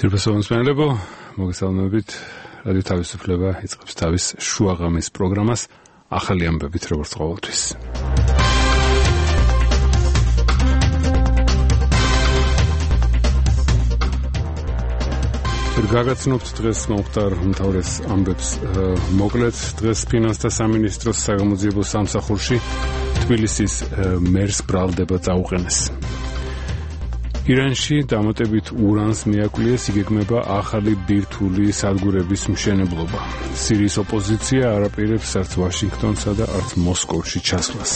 Თირფასოვანსმენელებო, მოგესალმებით. რადიო თავისუფლება იწყებს თავის შუაღამის პროგრამას ახალი ამბებით, როგორც ყოველთვის. გაგაცნობთ დღეს მომხდარ უმთავრეს ამბებს მოკლედ. დღეს ფინანსთა სამინისტროს საგამოძიებო სამსახურში თბილისის მერს ბრალდება წაუყენეს. ირანში დამატებით ურანს მიაკვლიეს, იგეგმება ახალი ბირთვული სადგურების მშენებლობა. სირიის ოპოზიცია არაპირებს არც ვაშინგტონსა და არც მოსკოვში ჩასვლას.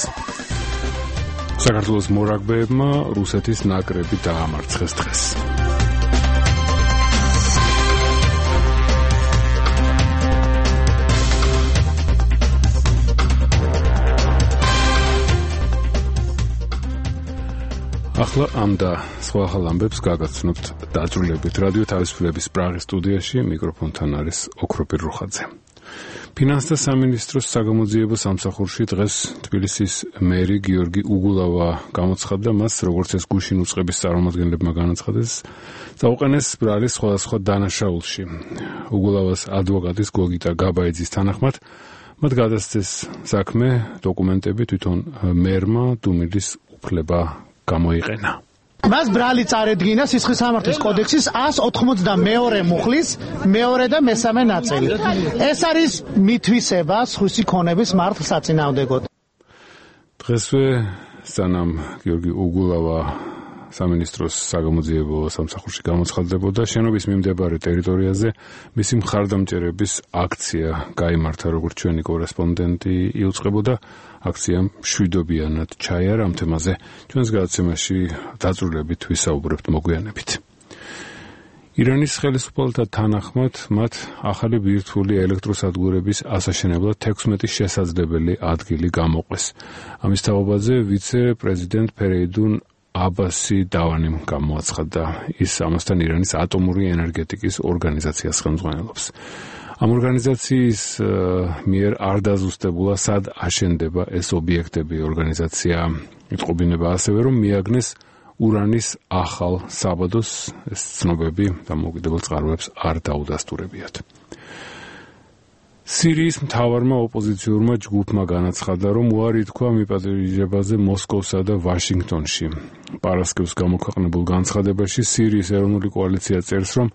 საქართველოს მორაგბეებმა რუსეთის ნაკრები დაამარცხეს დღეს. ახლა ამ და სხვა ახალ ამბებს გაგაცნობთ დაძრულებით. რადიო თავისუფლების პრაღის სტუდიაში მიკროფონთან არის ოქროპირ რუხაძე. ფინანსთა სამინისტროს საგამოძიებო სამსახურში დღეს თბილისის მერი გიორგი უგულავა გამოცხადდა, მას როგორც ეს გუშინ უწყების წარმომადგენლებმა განაცხადეს, წაუყენეს ბრალის სხვადასხვა დანაშაულში. უგულავას ადვოკატის გოგიტა გაბაიძის თანახმად მათ გადასცეს საქმე, დოკუმენტები თვითონ მერმა დუმილის უფლება გამოიყენა. მას ბრალი წარედგინა სისხლის სამართლის კოდექსის 182 მუხლის მეორე და მესამე ნაწილი. ეს არის მითვისება სხვისი ქონების მართლს საწინააღმდეგოდ. დღესვე სანამ გიორგი უგულავა სამინისტროს საგამოძიებო სამსახურში გამოცხადდებოდა, შენობის მიმდებარე ტერიტორიაზე მისი მხარდამჭერების აქცია გაიმართა, როგორც ჩვენი კორესპონდენტი იუწყებოდა. აქციამ მშვიდობიანად ჩაიარა. ამ თემაზე ჩვენს გადაცემაში დაძრულებით ვისაუბრებთ მოგვიანებით. ირანის ხელისუფალთა თანახმად მათ ახალი ბირთვული ელექტროსადგურების ასაშენებლად 16 შესაძლებელი ადგილი გამოყვეს. ამის თაობაზე ვიცე-პრეზიდენტ ფერეიდუნ აბასი დავანიმ გამოაცხადდა. ის ამასთან ირანის ატომური ენერგეტიკის ორგანიზაციას ხელმძღვანელობს. ამ ორგანიზაციის მიერ არ დაზუსტებულა, სად აშენდება ეს ობიექტები. ორგანიზაცია იტყობინება ასევე, რომ მიაგნეს ურანის ახალ საბადოს. ეს ცნობები დამოუკიდებელ წყაროებს არ დაუდასტურებიათ. სირიის მთავარმა ოპოზიციურმა ჯგუფმა განაცხადა, რომ უარი თქვა მიპატიჟებაზე მოსკოვსა და ვაშინგტონში. პარასკევს გამოქვეყნებულ განცხადებაში სირიის ეროვნული კოალიცია წერს, რომ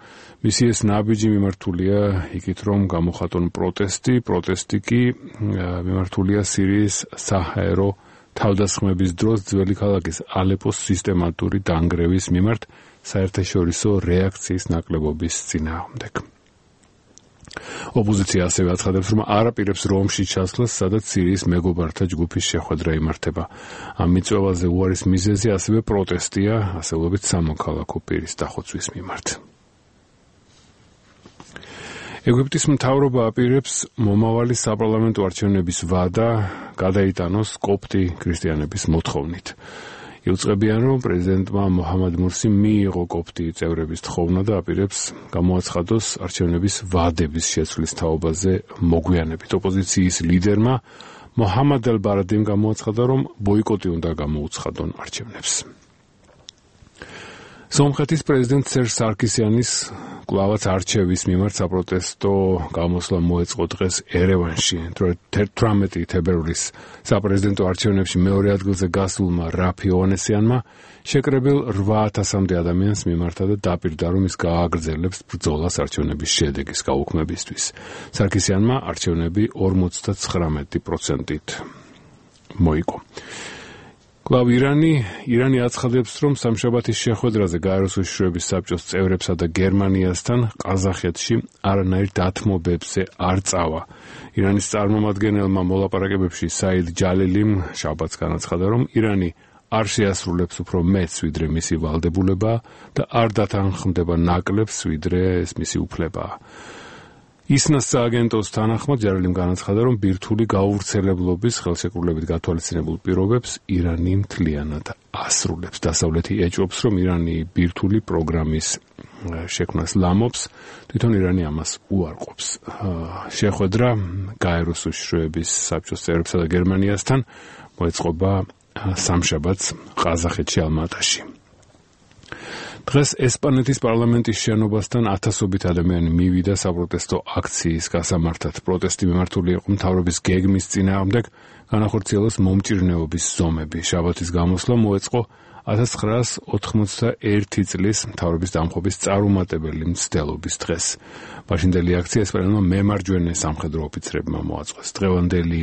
მისი ეს ნაბიჯი მიმართულია იქით, რომ გამოხატონ პროტესტი კი მიმართულია სირიის საჰაერო თავდასხმების დროს ძველი ქალაქის ალეპოს სისტემატური დანგრევის მიმართ საერთაშორისო რეაქციის ნაკლებობის წინააღმდეგ. ოპოზიცია ასევე აცხადებს, რომ არაპირებს რომში ჩასვლას, სადაც სირიის მეგობართა ჯგუფის შეხვედრა იმართება. ამ მიწვევაზე უარის მიზეზი ასევე პროტესტია, ასეულობით სამოქალაქო პირის დახოცვის მიმართ. ეგვიპტის მთავრობა აპირებს მომავალი საპარლამენტო არჩევნების ვადა გადაიტანოს კოპტი ქრისტიანების მოთხოვნით. იუწყებიან, რომ პრეზიდენტმა მოჰამად მურსიმ მიიღო კოპტი წევრების თხოვნა და აპირებს გამოაცხადოს არჩევნების ვადების შეცვლის თაობაზე მოგვიანებით. ოპოზიციის ლიდერმა მოჰამად ელ-ბარადიმ გამოაცხადა, რომ ბოიკოტი უნდა გამოუცხადონ არჩევნებს. სომხეთის პრეზიდენტ სერჟ სარკისიანის კვლავაც არჩევის მიმართ საპროტესტო გამოსვლა მოეწყო დღეს ერევანში. 18 თებერვლის საპრეზიდენტო არჩევნებში მეორე ადგილზე გასულმა რაფი ოვანესიანმა შეკრებილ 8000-მდე ადამიანს მიმართა და დაპირდა, რომ ის გააგრძელებს ბრძოლას არჩევნების შედეგის გაუქმებისთვის. სარკისიანმა არჩევნები 59%-ით მოიგო. კლავ ირანი აცხადებს, რომ სამშაბათის შეხვედრაზე გაეროს უშიშროების საბჭოს წევრებსა და გერმანიასთან ყაზახეთში არანაირ დათმობებზე არ წავა. ირანის წარმომადგენელმა მოლაპარაკებებში საიდ ჯალილიმ შაბათს განაცხადა, რომ ირანი არ შეასრულებს უფრო მეტს, ვიდრე მისი ვალდებულება და არ დათანხმდება ნაკლებს, ვიდრე ეს მისი უფლებაა. ისნას სააგენტოს თანახმად ჯალილიმ განაცხადა, რომ ბირთვული გაუვრცელებლობის ხელშეკრულებით გათვალისწინებულ პირობებს ირანი მთლიანად ასრულებს. დასავლეთი ეჭვობს, რომ ირანი ბირთვული პროგრამის შექმნას ლამობს, თვითონ ირანი ამას უარყოფს. შეხვედრა გაეროს უშიშროების საბჭოს წევრებსა და გერმანიასთან მოეწყობა სამშაბათს ყაზახეთში ალმატაში. დღეს ესპანეთის პარლამენტის შენობასთან ათასობით ადამიანი მივიდა საპროტესტო აქციის გასამართად. პროტესტი მიმართული იყო მთავრობის გეგმის წინააღმდეგ განახორციელოს მომჭირნეობის ზომები. შაბათის გამოსვლა მოეწყო 1991 წლის მთავრობის დამხობის წარუმატებელი მცდელობის დღეს. მაშინდელი აქცია ესპანელმა მემარჯვენე სამხედრო ოფიცრებმა მოაწყვეს. დღევანდელი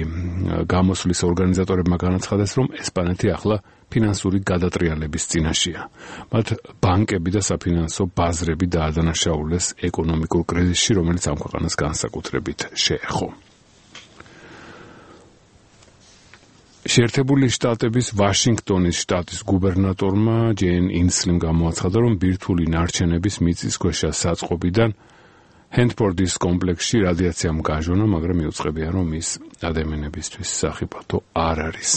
გამოსვლის ორგანიზატორებმა განაცხადეს, რომ ესპანეთი ახლა ფინანსური გადატრიალების წინაშეა. მათ ბანკები და საფინანსო ბაზრები დაადანაშაულეს ეკონომიკურ კრიზისში, რომელიც ამ ქვეყანას განსაკუთრებით შეეხო. შეერთებული შტატების ვაშინგტონის შტატის გუბერნატორმა ჯეინ ინსლიმ გამოაცხადა, რომ ბირთვული ნარჩენების მიწისქვეშა საწყობიდან ჰენდფორდის კომპლექსში რადიაციამ გაჟონა, მაგრამ მიუწყებია, რომ ის ადამიანებისთვის სახიფათო არ არის.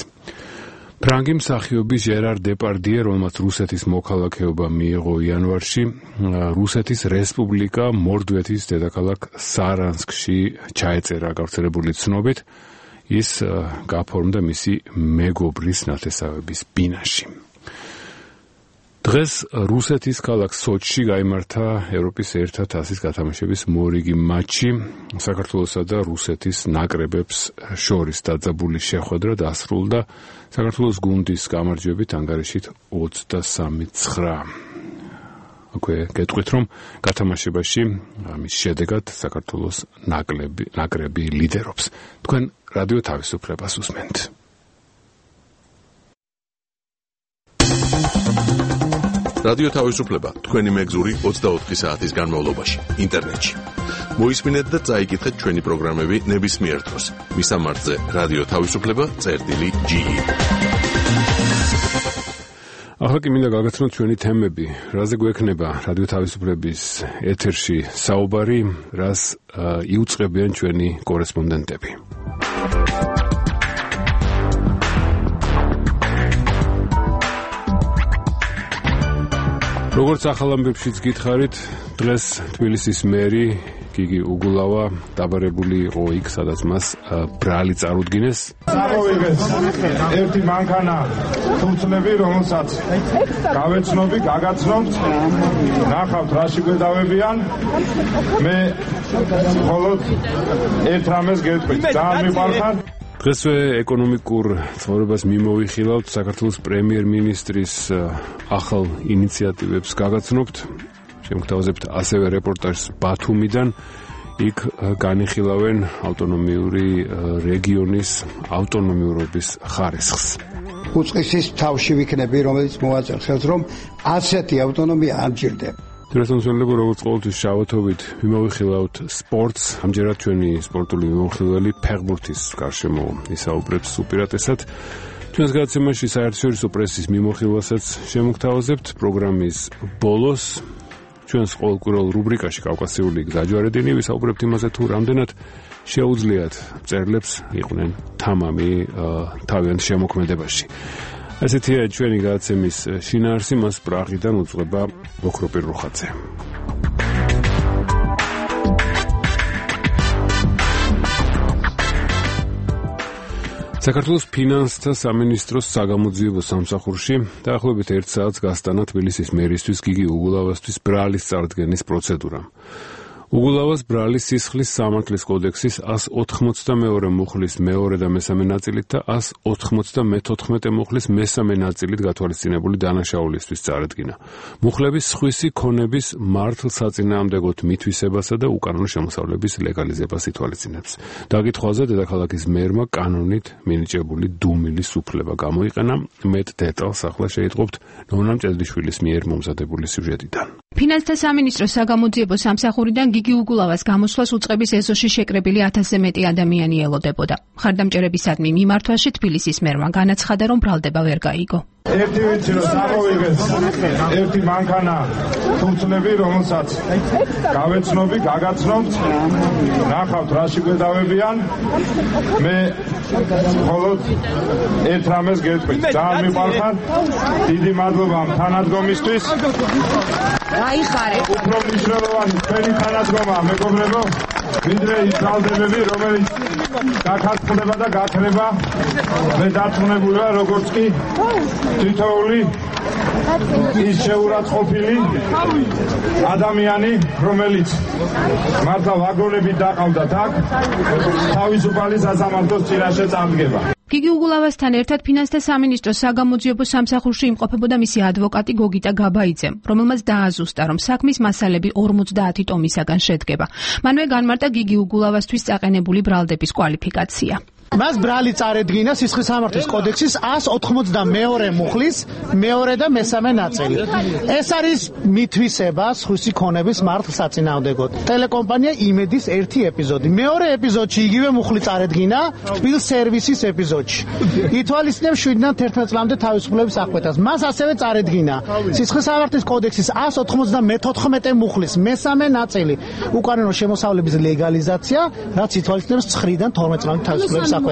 ფრანგი მსახიობი ჟერარ დეპარდიე, რომელმაც რუსეთის მოქალაქეობა მიიღო იანვარში, რუსეთის რესპუბლიკა მორდვეთის დედაქალაქ სარანსკში ჩაეწერა გავრცელებული ცნობით, ის გაფორმდა მისი მეგობრის ნათესავების ბინაში. დღეს რუსეთის ქალაქ სოჩში გაიმართა ევროპის ერთა თასის გათამაშების მორიგი მატჩი. საქართველოსა და რუსეთის ნაკრებებს შორის დაძაბული შეხვედრა დასრულდა საქართველოს გუნდის გამარჯვებით ანგარიშით 23-9. აქვე გეტყვით, რომ გათამაშებაში ამის შედეგად საქართველოს ნაკრები ლიდერობს. თქვენ რადიო თავისუფლებას უსმენთ. რადიო თავისუფლება თქვენი მეგზური 24 საათის განმავლობაში ინტერნეტში. მოისმინეთ და წაიკითხეთ ჩვენი პროგრამები ნებისმიერ დროს. მისამართზე რადიო თავისუფლება.ge. ახლა კი მინდა გაგაცნოთ ჩვენი თემები. რაზე გვექნება რადიო თავისუფლების ეთერში საუბარი, რას იუწყებიან ჩვენი კორესპონდენტები. როგორც ახალ ამბებშიც გითხარით, დღეს თბილისის მერი გიგი უგულავა დაბარებული იყო იქ, სადაც მას ბრალი წარუდგინეს. წავიღეს ერთი მანქანა თუმცლები, რომელსაც გავეცნობი, გაგაცნობთ, ნახავთ რაში გვედავებიან, მე მხოლოდ ერთ რამეს გეტყვით, ძალიან მიყარხარ. დღესვე ეკონომიკურ ცხოვრებას მიმოვიხილავთ, საქართველოს პრემიერ-მინისტრის ახალ ინიციატივებს გაგაცნობთ. შემოგთავაზებთ ასევე რეპორტაჟს ბათუმიდან. იქ განიხილავენ ავტონომიური რეგიონის ავტონომიურობის ხარისხს. უწყისის თავში ვიქნები, რომელიც მოაწერს ხელს, რომ ასეთი ავტონომია არ მჭირდება. დრესონსველებო, როგორც ყოველთვის შავათობით მიმოვიხილავთ სპორტს. ამჯერად ჩვენი სპორტული მიმოხილველი ფეხბურთის გარშემო ისაუბრებს უპირატესად. ჩვენს გადაცემაში საერთაშორისო პრესის მიმოხილვასაც შემოგთავაზებთ. პროგრამის ბოლოს ჩვენს ყოველკვირველ რუბრიკაში კავკასიური დაჯვარედინი ვისაუბრებთ იმაზე, თუ რამდენად შეუძლიათ მწერლებს იყვნენ თამამი თავიანთ შემოქმედებაში. ესეთია ჩვენი გადაცემის შინაარსი, მას პრაღიდან უძღვება ოქროპირ რუხაძე. საქართველოს ფინანსთა სამინისტროს საგამოძიებო სამსახურში დაახლოებით 1 საათს გასტანა თბილისის მერისთვის გიგი უგულავასთვის ბრალის წარდგენის პროცედურა. უგულავას ბრალის სისხლის სამართლის კოდექსის 182 მუხლის მეორე და მესამე ნაწილით და 194 მუხლის მესამე ნაწილით გათვალისწინებული დანაშაულისთვის წარადგინა. მუხლების სხვისი ქონების მართლსაწინააღმდეგოდ მითვისებასა და უკანონო შემოსავლების ლეგალიზებას ითვალისწინებს. დაკითხვაზე დედაქალაქის მერმა კანონით მინიჭებული დუმილის უფლება გამოიყენა. მეტ დეტალს ახლა შეიტყობთ ნონა მჭედლიშვილის მიერ მომზადებული სიუჟეტიდან. ფინანსთა სამინისტროს საგამოძიებო სამსახურიდან გიგი უგულავას გამოსვლას უწყების ეზოში შეკრებილი 1000-ზე მეტი ადამიანი ელოდებოდა. მხარდამჭერებისადმი მიმართვაში თბილისის მერმა განაცხადა, რომ ბრალდება ვერ გაიგო. ერთი ვიცი რომ წავიღეს ერთი მანქანა თუმცლები, რომელსაც გავეცნობი, გაგაცნობთ, ნახავთ რაში გვედავებიან, მე მხოლოდ ერთ რამეს გეტყვით, ძალიან მიყარხარ, დიდი მადლობა თანადგომისთვის. გაიხარე. უფრო მნიშვნელოვანი თქვენი თანადგომა, მეგობრებო, ვიდრე ის ბრალდებები, რომელიც გაქარწყდება და გაქრება, მე დარწმუნებულია, როგორც კი თითოეული ის შეურაცხყოფილი ადამიანი, რომელიც მართლა ვაგონებით დაყავდათ აქ, თავისუფალი სასამართლოს წინაშე წარდგება. გიგი უგულავასთან ერთად ფინანსთა სამინისტროს საგამოძიებო სამსახურში იმყოფებოდა მისი ადვოკატი გოგიტა გაბაიძე, რომელმაც დააზუსტა, რომ საქმის მასალები 50 ტომისაგან შედგება. მანვე განმარტა გიგი უგულავასთვის წაყენებული ბრალდების კვალიფიკაცია. მას ბრალი წარედგინა სისხლის სამართლის კოდექსის 192 მუხლის მეორე და მესამე ნაწილი. ეს არის მითვისება სხვისი ქონების მართლ საწინააღმდეგოდ. ტელეკომპანია იმედის ერთი ეპიზოდი. მეორე ეპიზოდში იგივე მუხლი წარედგინა თბილ სერვისის ეპიზოდში. ითვალისწინებს 7-დან 11 წლამდე თავისუფლების აღკვეთას. მას ასევე წარედგინა სისხლის სამართლის კოდექსის 194 მუხლის მესამე ნაწილი. უკანონო შემოსავლების ლეგალიზაცია, რაც ითვალისწინებს 9-დან 12 წლამდე თავისუფლების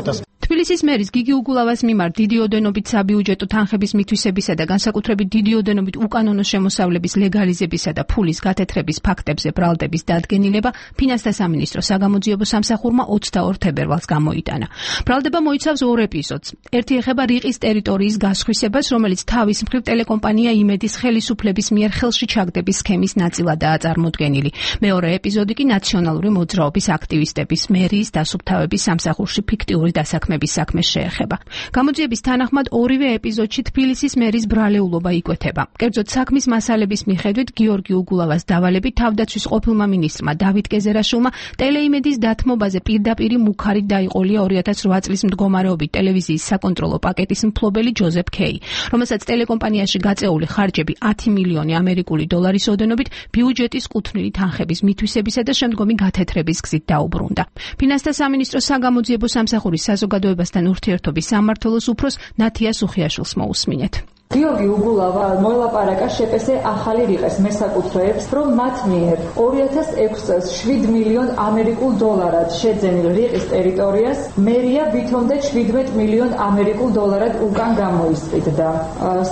თბილისის მერის გიგი უგულავას მიმართ დიდი ოდენობით საბიუჯეტო თანხების მითვისებისა და განსაკუთრებით დიდი ოდენობით უკანონო შემოსავლების ლეგალიზებისა და ფულის გათეთრების ფაქტებზე ბრალდების დადგენილება ფინანსთა სამინისტროს საგამოძიებო სამსახურმა 22 თებერვალს გამოიტანა. ბრალდება მოიცავს ორ ეპიზოდს. ერთი ეხება რიყის ტერიტორიის გასხვისებას, რომელიც თავის მხრივ ტელეკომპანია იმედის ხელისუფლების მიერ ხელში ჩაგდების სქემის ნაწილადაა წარმოდგენილი. მეორე ეპიზოდი კი ნაციონალური მოძრაობის აქტივისტების მერიის დასუფთავების სამსახურში ფიქტიური დასაქმების საქმეს შეეხება. გამოძიების თანახმად ორივე ეპიზოდში თბილისის მერის ბრალეულობა იკვეთება. კერძოდ საქმის მასალების მიხედვით გიორგი უგულავას დავალებით თავდაცვის ყოფილმა მინისტრმა დავით კეზერაშვილმა ტელეიმედის დათმობაზე პირდაპირ მუქარით დაიყოლია 2008 წლის მდგომარეობით ტელევიზიის საკონტროლო პაკეტის მფლობელი ჯოზეფ ქეი, რომელსაც ტელეკომპანიაში გაწეული ხარჯები 10 მილიონი ამერიკული დოლარის ოდენობით ბიუჯეტის კუთვნილი თანხების მითვისებისა და შემდგომი გათეთრების გზით დაუბრუნდა. ფინანსთა სამინისტროს საგამოძიებო სამსახურის საზოგადოებასთან ურთიერთობის სამმართველოს უფროს ნათია სუხიაშვილს მოусმინეთ. გიორგი უგულავა მოელაპარაკა შეპესე ახალი რიყეს მესაკუთრეებს, რომ მათ მიერ 2006 წელს 7 მილიონ ამერიკულ დოლარად შეძენილ რიყის ტერიტორიას მერია ვითომდე 17 მილიონ ამერიკულ დოლარად უკან გამოისყიდდა.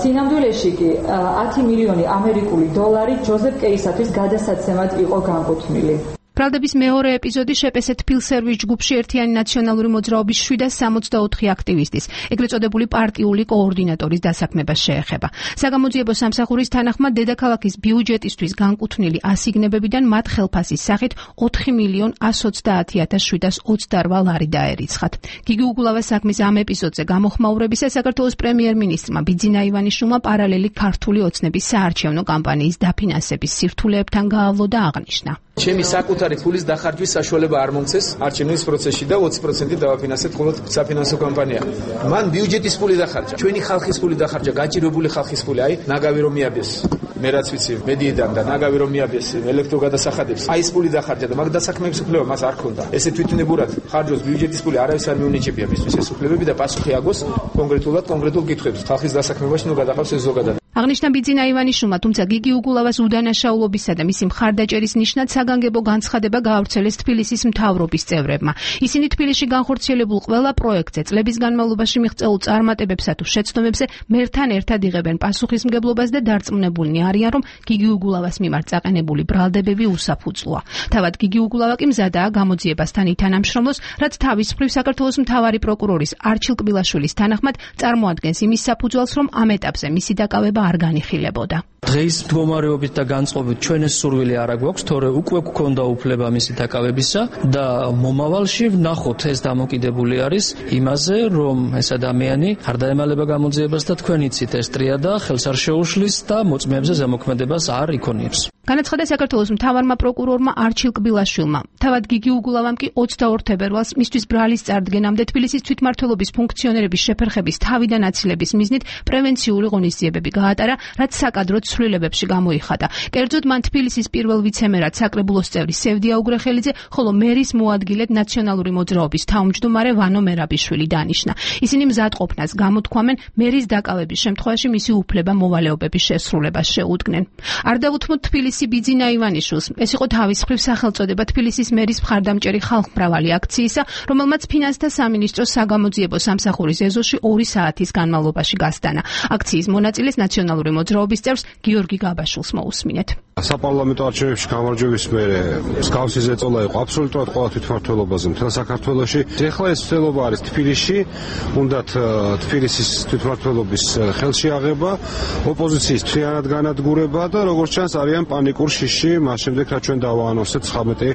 სინამდვილეში კი 10 მილიონი ამერიკული დოლარი ჯოზეფ კეისათვის გადასაცემად იყო განკუთვნილი. ბრალდების მეორე ეპიზოდი შეპესე თბილ სერვის ჯგუფში ერთიანი ნაციონალური მოძრაობის 764 აქტივისტის, ეგრეთ წოდებული პარტიული კოორდინატორის დასაქმებას შეეხება. საგამოძიებო სამსახურის თანახმად დედაქალაქის ბიუჯეტისთვის განკუთვნილი ასიგნებებიდან მათ ხელფასის სახით 4 მილიონ 130,728 ლარი დაერიცხათ. გიგი უგულავას საქმის ამ ეპიზოდზე გამოხმაურებისას საქართველოს პრემიერ-მინისტრმა ბიძინა ივანიშვილმა პარალელი ქართული ოცნების საარჩევნო კამპანიის დაფინანსების სირთულეებთან გაავლო და აღნიშნა. ჩემი საკუთარი ფულის დახარჯვის საშუალება არ მომცეს არჩევნების პროცესში და 20% დავაფინანსეთ მხოლოდ საფინანსო კამპანია. მან ბიუჯეტის ფული დახარჯა, ჩვენი ხალხის ფული დახარჯა, გაჭირვებული ხალხის ფული, აი ნაგავი რომ მიაბეს. მე რაც ვიცი, მედიიდან და ნაგავი რომ მიაბეს ელექტროგადასახადებს. აი ეს ფული დახარჯა და მაგ დასაქმების უფლება მას არ ქონდა. ესე თვითონებურად ხარჯოს ბიუჯეტის ფული არავის არ მიუნიჭებია მისთვის ეს უფლებები და პასუხი აგოს კონკრეტულ კითხვებს. ხალხის დასაქმებაში ნუ გადაყავს ეს ზოგადად. აღნიშნა ბიძინა ივანიშვილმა, თუმცა გიგი უგულავას უდანაშაულობისა და მისი მხარდაჭერის ნიშნად საგანგებო განცხადება გაავრცელეს თბილისის მთავრობის წევრებმა. ისინი თბილისში განხორციელებულ ყველა პროექტზე წლების განმავლობაში მიღწეულ წარმატებებსა თუ შეცდომებზე მერთან ერთად იღებენ პასუხისმგებლობას და დარწმუნებულნი არიან, რომ გიგი უგულავას მიმართ წაყენებული ბრალდებები უსაფუძვლოა. თავად გიგი უგულავა კი მზადაა გამოძიებასთან ითანამშრომლოს, რაც თავის მხრივ საქართველოს მთავარი პროკურორის არჩილ კბილაშვილის თანახმად წარმოადგენს იმის საფუძველს, რომ ამ ეტაპზე მისი დაკავება არ განიხილებოდა. დღეს მდგომარეობით და განწყობით ჩვენ ეს სურვილი არ აგვაქვს, თორე უკვე გვქონდა უფლება მისი დაკავებისა და მომავალში ვნახოთ ეს დამოკიდებული არის იმაზე, რომ ეს ადამიანი არ დაემალება გამოძიებას და თქვენ იცით ეს ტრიადა ხელს არ შეუშლის და მოწმეებზე ზემოქმედებას არ იქონიებს. განაცხადა საქართველოს მთავარმა პროკურორმა არჩილ კბილაშვილმა. თავად გიგი უგულავამ კი 22 თებერვალს მისთვის ბრალის წარდგენამდე თბილისის თვითმმართველობის ფუნქციონერების შეფერხების თავიდან აცილების მიზნით პრევენციული ღონისძიებები გაატარა, რაც საკადრო ცვლილებებში გამოიხადა. კერძოდ მან თბილისის პირველ ვიცემერად საკრებულოს წევრი სევდია უგრეხელიძე, ხოლო მერის მოადგილედ ნაციონალური მოძრაობის თავმჯდომარე ვანო მერაბიშვილი დანიშნა. ისინი მზადყოფნას გამოთქვამენ მერის დაკავების შემთხვევაში მისი უფლება მოვალეობების შესრულებას შეუდგნენ. არ დაუთმოთ თბილისის ბიძინა ივანიშვილს. ეს იყო თავის მხრივ სახელწოდება თბილისის მერის მხარდამჭერი ხალხმრავალი აქციისა, რომელმაც ფინანსთა სამინისტროს საგამოძიებო სამსახურის ეზოში 2 საათის განმავლობაში გასტანა. აქციის მონაწილეს ნაციონალური ნაციონალური მოძრაობის წევრს გიორგი გაბაშვილს მოусმინეთ. საპარლამენტო არჩევნებში გამარჯვების მერე მსგავსი ზეწოლა იყო აბსოლუტურად ყველა თვითმმართველობაზე მთელ საქართველოში. ეხლა ეს ცდელობა არის თბილისში, უნდათ თბილისის თვითმმართველობის ხელში აღება, ოპოზიციის მთლიანად განადგურება და როგორც ჩანს არიან პანიკურ შიშში, მას შემდეგ რაც ჩვენ დავაანონსეთ 19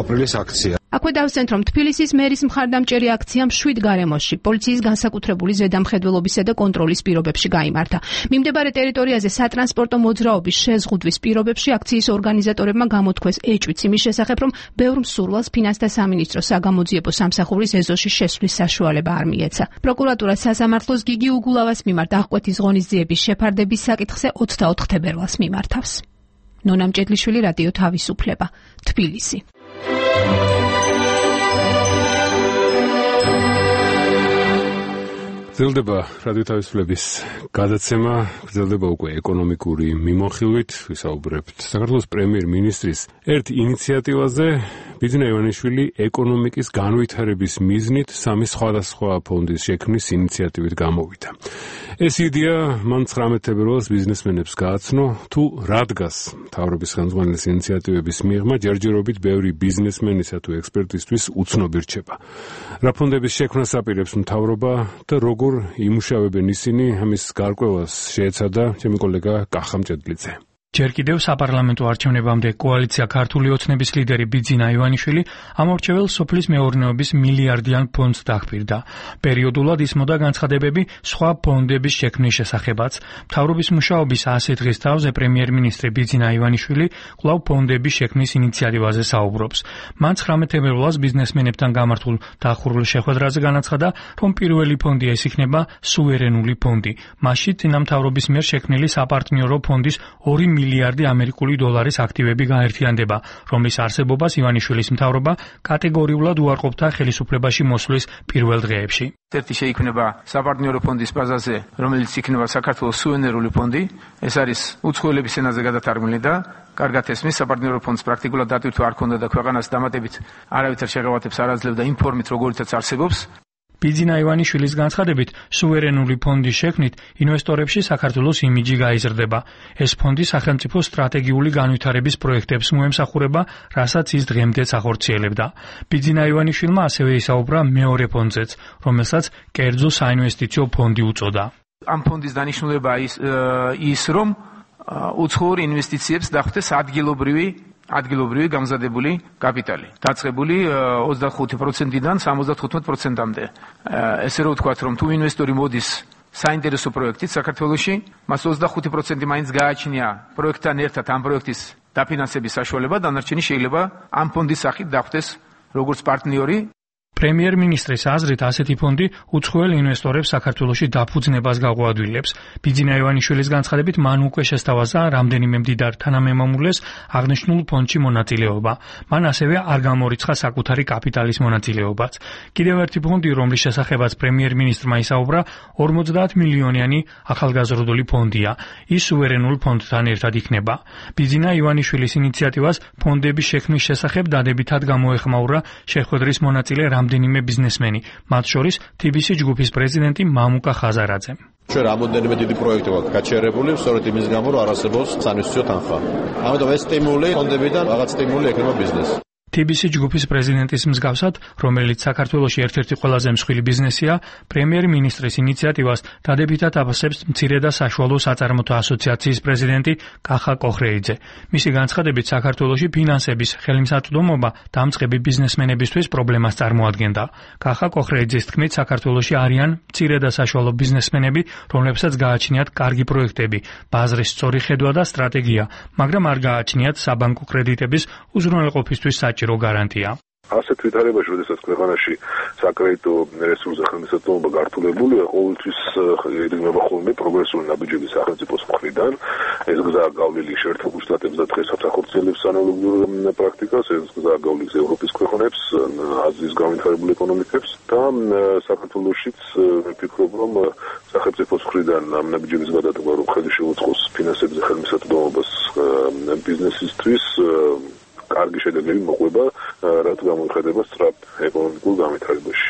აპრილის აქცია. აქვე დავსვენთ, რომ თბილისის მერის მხარდამჭერი აქცია მშვიდ გარემოში, პოლიციის განსაკუთრებული ზედამხედველობისა და კონტროლის პირობებში გაიმართა. მიმდებარე ტერიტორიაზე სატრანსპორტო მოძრაობის შეზღუდვის პირობებში აქციის ორგანიზატორებმა გამოთქვეს ეჭვიც იმის შესახებ, რომ ბევრ მსურველს ფინანსთა სამინისტროს საგამოძიებო სამსახურის ეზოში შესვლის საშუალება არ მიეცა. პროკურატურა სასამართლოს გიგი უგულავას მიმართ აღკვეთის ღონისძიების შეფარდების საკითხზე 24 თებერვალს მიმართავს. ნონა მჭედლიშვილი, რადიო თავისუფლება, თბილისი. გრძელდება რადიო თავისუფლების გადაცემა, გრძელდება უკვე ეკონომიკური მიმოხილვით, ვისაუბრებთ საქართველოს პრემიერ-მინისტრის ერთ ინიციატივაზე, ბიძინა ივანიშვილი ეკონომიკის განვითარების მიზნით სამი სხვადასხვა ფონდის შექმნის ინიციატივით გამოვიდა. ეს იდეა მან 19 თებერვალს ბიზნესმენებს გააცნო, თუ რა დგას მთავრობის ხელმძღვანელის ინიციატივების მიღმა ჯერჯერობით ბევრი ბიზნესმენისა თუ ექსპერტისთვის უცნობი რჩება. რა ფონდების შექმნას აპირებს მთავრობა და როგორ იმუშავებენ ისინი, ამის გარკვევას შეეცადა ჩემი კოლეგა კახა მჭედლიძე. ჯერ კიდევ საპარლამენტო არჩევნებამდე კოალიცია ქართული ოცნების ლიდერი ბიძინა ივანიშვილი ამორჩეულ სოფლის მეურნეობის მილიარდიან ფონდს დახბირდა. პერიოდულად ისმოდა განცხადებები სხვა ფონდების შექმნის შესახებაც. მთავრობის მუშაობის 100 დღის თავზე პრემიერ-მინისტრი ბიძინა ივანიშვილი კვლავ ფონდების შექმნის ინიციატივაზე საუბრობს. მან 19 თებერვალს ბიზნესმენებთან გამართულ დახურულ შეხვედრაზე განაცხადა, რომ პირველი ფონდი ეს იქნება სუვერენული ფონდი. მასში წინა მთავრობის მიერ შექმნილი საპარტნიორო ფონდის 2 მილიარდი ამერიკული დოლარის აქტივები გაერთიანდება, რომლის არსებობას ივანიშვილის მთავრობა კატეგორიულად უარყოფდა ხელისუფლებაში მოსვლის პირველ დღეებში. ერთი შეიქმნება საპარტნიორო ფონდის ბაზაზე, რომელიც იქნება საქართველოს სუვერენული ფონდი. ეს არის უცხოელების ენაზე გადათარგმნილი და კარგად ესმის, საპარტნიორო ფონდს პრაქტიკულად დატვირთვა არ ქონდა და ქვეყანას დამატებით არავითარ შეღავათებს არ აძლევდა იმ ფორმით, როგორიცაც არსებობს. ბიძინა ივანიშვილის განცხადებით, სუვერენული ფონდის შექმნით ინვესტორებში საქართველოს იმიჯი გაიზრდება. ეს ფონდი სახელმწიფო სტრატეგიული განვითარების პროექტებს მოემსახურება, რასაც ის დღემდეც ახორციელებდა. ბიძინა ივანიშვილმა ასევე ისაუბრა მეორე ფონდზეც, რომელსაც კერძო საინვესტიციო ფონდი უწოდა. ამ ფონდის დანიშნულება ის რომ უცხოურ ინვესტიციებს დახვდეს ადგილობრივი გამზადებული კაპიტალი, დაწყებული 25%-დან 75%-მდე. ესე რომ ვთქვათ, რომ თუ ინვესტორი მოდის საინტერესო პროექტით საქართველოში, მას 25% მაინც გააჩნია პროექტთან ერთად ამ პროექტის დაფინანსების საშუალება, დანარჩენი შეიძლება ამ ფონდის სახით დახვდეს როგორც პარტნიორი. პრემიერ-მინისტრის აზრით, ასეთი ფონდი უცხოელ ინვესტორებს საქართველოში დაფუძნებას გაუადვილებს. ბიძინა ივანიშვილის განცხადებით, მან უკვე შესთავაზა რამდენიმე მდიდარ თანამემამულეს აღნიშნულ ფონდში მონაწილეობა. მან ასევე არ გამორიცხა საკუთარი კაპიტალის მონაწილეობაც. კიდევ ერთი ფონდი, რომლის შესახებაც პრემიერ-მინისტრმა ისაუბრა, 50 მილიონიანი ახალგაზრდული ფონდია. ის სუვერენულ ფონდთან ერთად იქნება. ბიძინა ივანიშვილის ინიციატივას ფონდების შექმნის შესახებ დადებითად გამოეხმაურა შეხვედრის მონაწილე რამდენიმე ბიზნესმენი, მათ შორის TBC ჯგუფის პრეზიდენტი მამუკა ხაზარაძე. ჩვენ რამოდენიმე დიდი პროექტი გვაქვს გაჩერებული, სწორედ იმის გამო, რომ არ არსებობს საინვესტიციო თანხა. ამიტომ ეს სტიმული ფონდებიდან რაღაც სტიმული ექნება ბიზნესს. TBC ჯგუფის პრეზიდენტის მსგავსად, რომელიც საქართველოში ერთ-ერთი ყველაზე მსხვილი ბიზნესია, პრემიერ-მინისტრის ინიციატივას დადებითად აფასებს მცირე და საშუალო საწარმოთა ასოციაციის პრეზიდენტი კახა კოხრეიძე. მისი განცხადებით, საქართველოში ფინანსების ხელმისაწვდომობა დამწყები ბიზნესმენებისთვის პრობლემას წარმოადგენდა. კახა კოხრეიძის თქმით, საქართველოში არიან მცირე და საშუალო ბიზნესმენები, რომლებსაც გააჩნიათ კარგი პროექტები, ბაზრის სწორი ხედვა და სტრატეგია, მაგრამ არ გააჩნიათ საბანკო კრედიტების უზრუნველყოფისთვის საჭირო გარანტია. ასეთ ვითარებაში, როდესაც ქვეყანაში საკრედიტო რესურსზე ხელმისაწვდომობა გართულებულია, ყოველთვის ედრიმება ხოლმე პროგრესული ნაბიჯები სახელმწიფოს მხრიდან. ეს გზაა გავლილი შეერთებულ შტატებს და დღესაც ახორციელებს ანალოგიურ პრაქტიკას, ეს გზაა გავლილი ევროპის ქვეყნებს, აზიის განვითარებულ ეკონომიკებს და საქართველოშიც ვფიქრობ, რომ სახელმწიფოს მხრიდან ამ ნაბიჯების გადადგმა, რომ ხელი შეუწყოს ფინანსებზე ხელმისაწვდომობას ბიზნესისთვის, კარგი შედეგები მოყვება, რაც გამოიხატება სწრაფ ეკონომიკურ განვითარებაში.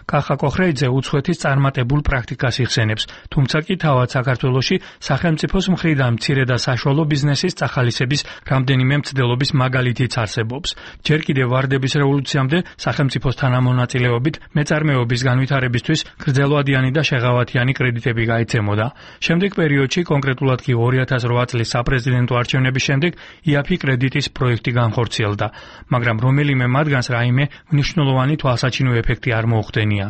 კახა კოხრეიძე უცხოეთის წარმატებულ პრაქტიკას იხსენებს, თუმცა კი თავად საქართველოში სახელმწიფოს მხრიდან მცირე და საშუალო ბიზნესის წახალისების რამდენიმე მცდელობის მაგალითიც არსებობს. ჯერ კიდევ ვარდების რევოლუციამდე სახელმწიფოს თანამონაწილეობით მეწარმეობის განვითარებისთვის გრძელვადიანი და შეღავათიანი კრედიტები გაიცემოდა. შემდეგ პერიოდში, კონკრეტულად კი 2008 წლის საპრეზიდენტო არჩევნების შემდეგ IAPI კრედიტის პროექტი განხორციელდა, მაგრამ რომელიმე მათგანს რაიმე მნიშვნელოვანი თვალსაჩინო ეფექტი არ მოუხდენია.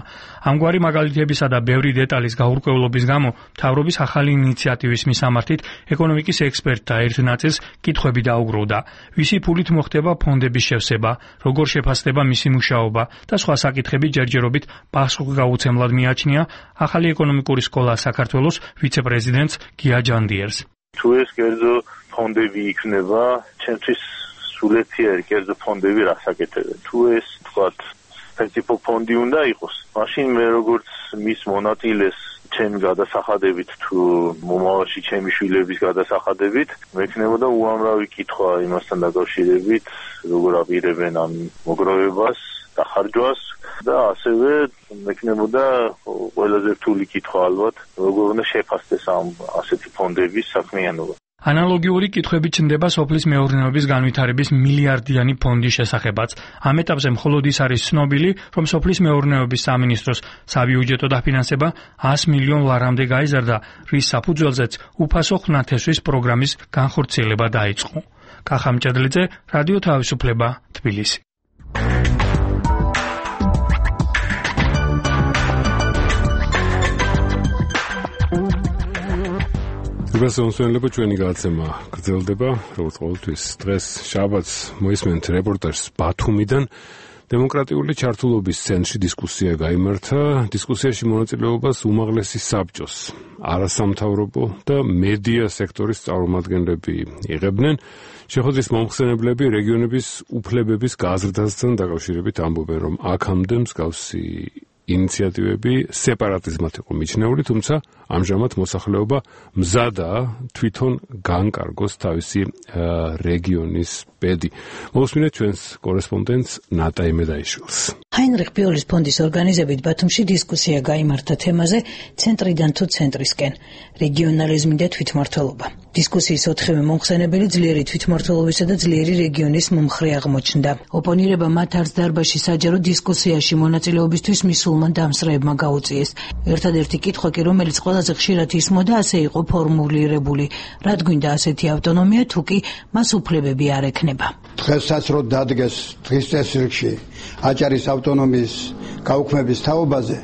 ამგვარი მაგალითებისა და ბევრი დეტალის გაურკვევლობის გამო მთავრობის ახალი ინიციატივის მისამართით ეკონომიკის ექსპერტთა ერთ ნაწილს კითხვები დაუგროვდა. ვისი ფულით მოხდება ფონდების შევსება, როგორ შეფასდება მისი მუშაობა და სხვა საკითხები ჯერჯერობით პასუხგაუცემლად მიაჩნია ახალი ეკონომიკური სკოლა საქართველოს ვიცე-პრეზიდენტს გია ჯანდიერს. თუ ეს კერძო ფონდები იქნება, ჩემთვის სულეციერი კერძო ფონდები რასაკეთებენ. თუ ეს თქვათ პრინციპო ფონდი უნდა იყოს, მაშინ მე როგორც მის მონაწილეს ჩემი გადასახადებით თუ მომავალში ჩემი შვილების გადასახადებით მექნებოდა უამრავი კითხვა იმასთან დაკავშირებით, როგორ აპირებენ ამ მოგროვებას, დახარჯვას და ასევე მექნებოდა ყველაზე რთული კითხვა ალბათ, როგორ უნდა შეფასდეს ამ ასეთი ფონდების საქმიანობა. ანალოგიური კითხვები ჩნდება სოფლის მეურნეობის განვითარების მილიარდიანი ფონდის შესახებაც. ამ ეტაპზე მხოლოდ ის არის ცნობილი, რომ სოფლის მეურნეობის სამინისტროს საბიუჯეტო დაფინანსება 100 მილიონ ლარამდე გაიზარდა, რის საფუძველზეც უფასო ხნათესვის პროგრამის განხორციელება დაიწყო. კახა მჭედლიძე, რადიო თავისუფლება, თბილისი. გასაუბრება ჩვენი გადაცემა გრძელდება, როგორც ყოველთვის დღეს შაბათს მოისმენთ რეპორტაჟს ბათუმიდან. დემოკრატიული ჩართულობის ცენტრში დისკუსია გაიმართა. დისკუსიაში მონაწილეობას უმაღლესი საბჭოს, არასამთავრობო და მედია სექტორის წარმომადგენლები იღებდნენ. შეხვედრის მომხსენებლები რეგიონების უფლებების გაზრდასთან დაკავშირებით ამბობენ, რომ აქამდე მსგავსი ინიციატივები სეპარატიზმად იყო მიჩნეული, თუმცა ამჟამად მოსახლეობა მზადაა თვითონ განკარგოს თავისი რეგიონის ბედი. მოусმინეთ ჩვენს კორესპონდენტს ნატა იმედაიშვილს. ჰაინრიხ ბიოლის ფონდის ორგანიზებით ბათუმში დისკუსია გაიმართა თემაზე ცენტრიდან თუ ცენტრისკენ, რეგიონალიზმი და თვითმმართველობა. დისკუსიის 4-ვე მომხსენებელი ძლიერი თვითმმართველობისა და ძლიერი რეგიონის მომხრე აღმოჩნდა. ოპონირება მათ არც დარბაზში საჯარო დისკუსიაში მონაწილეობისთვის მისულმა დამსწრეებმა გაუწიეს. ერთადერთი კითხვა კი, რომელიც ყველაზე ხშირად ისმოდა, ასე იყო ფორმულირებული: რად გვინდა ასეთი ავტონომია, თუ კი მას უფლებები არ ექნება. დღესაც რო დადგეს დღის წესრიგში აჭარის ავტონომიის გაუქმების თაობაზე,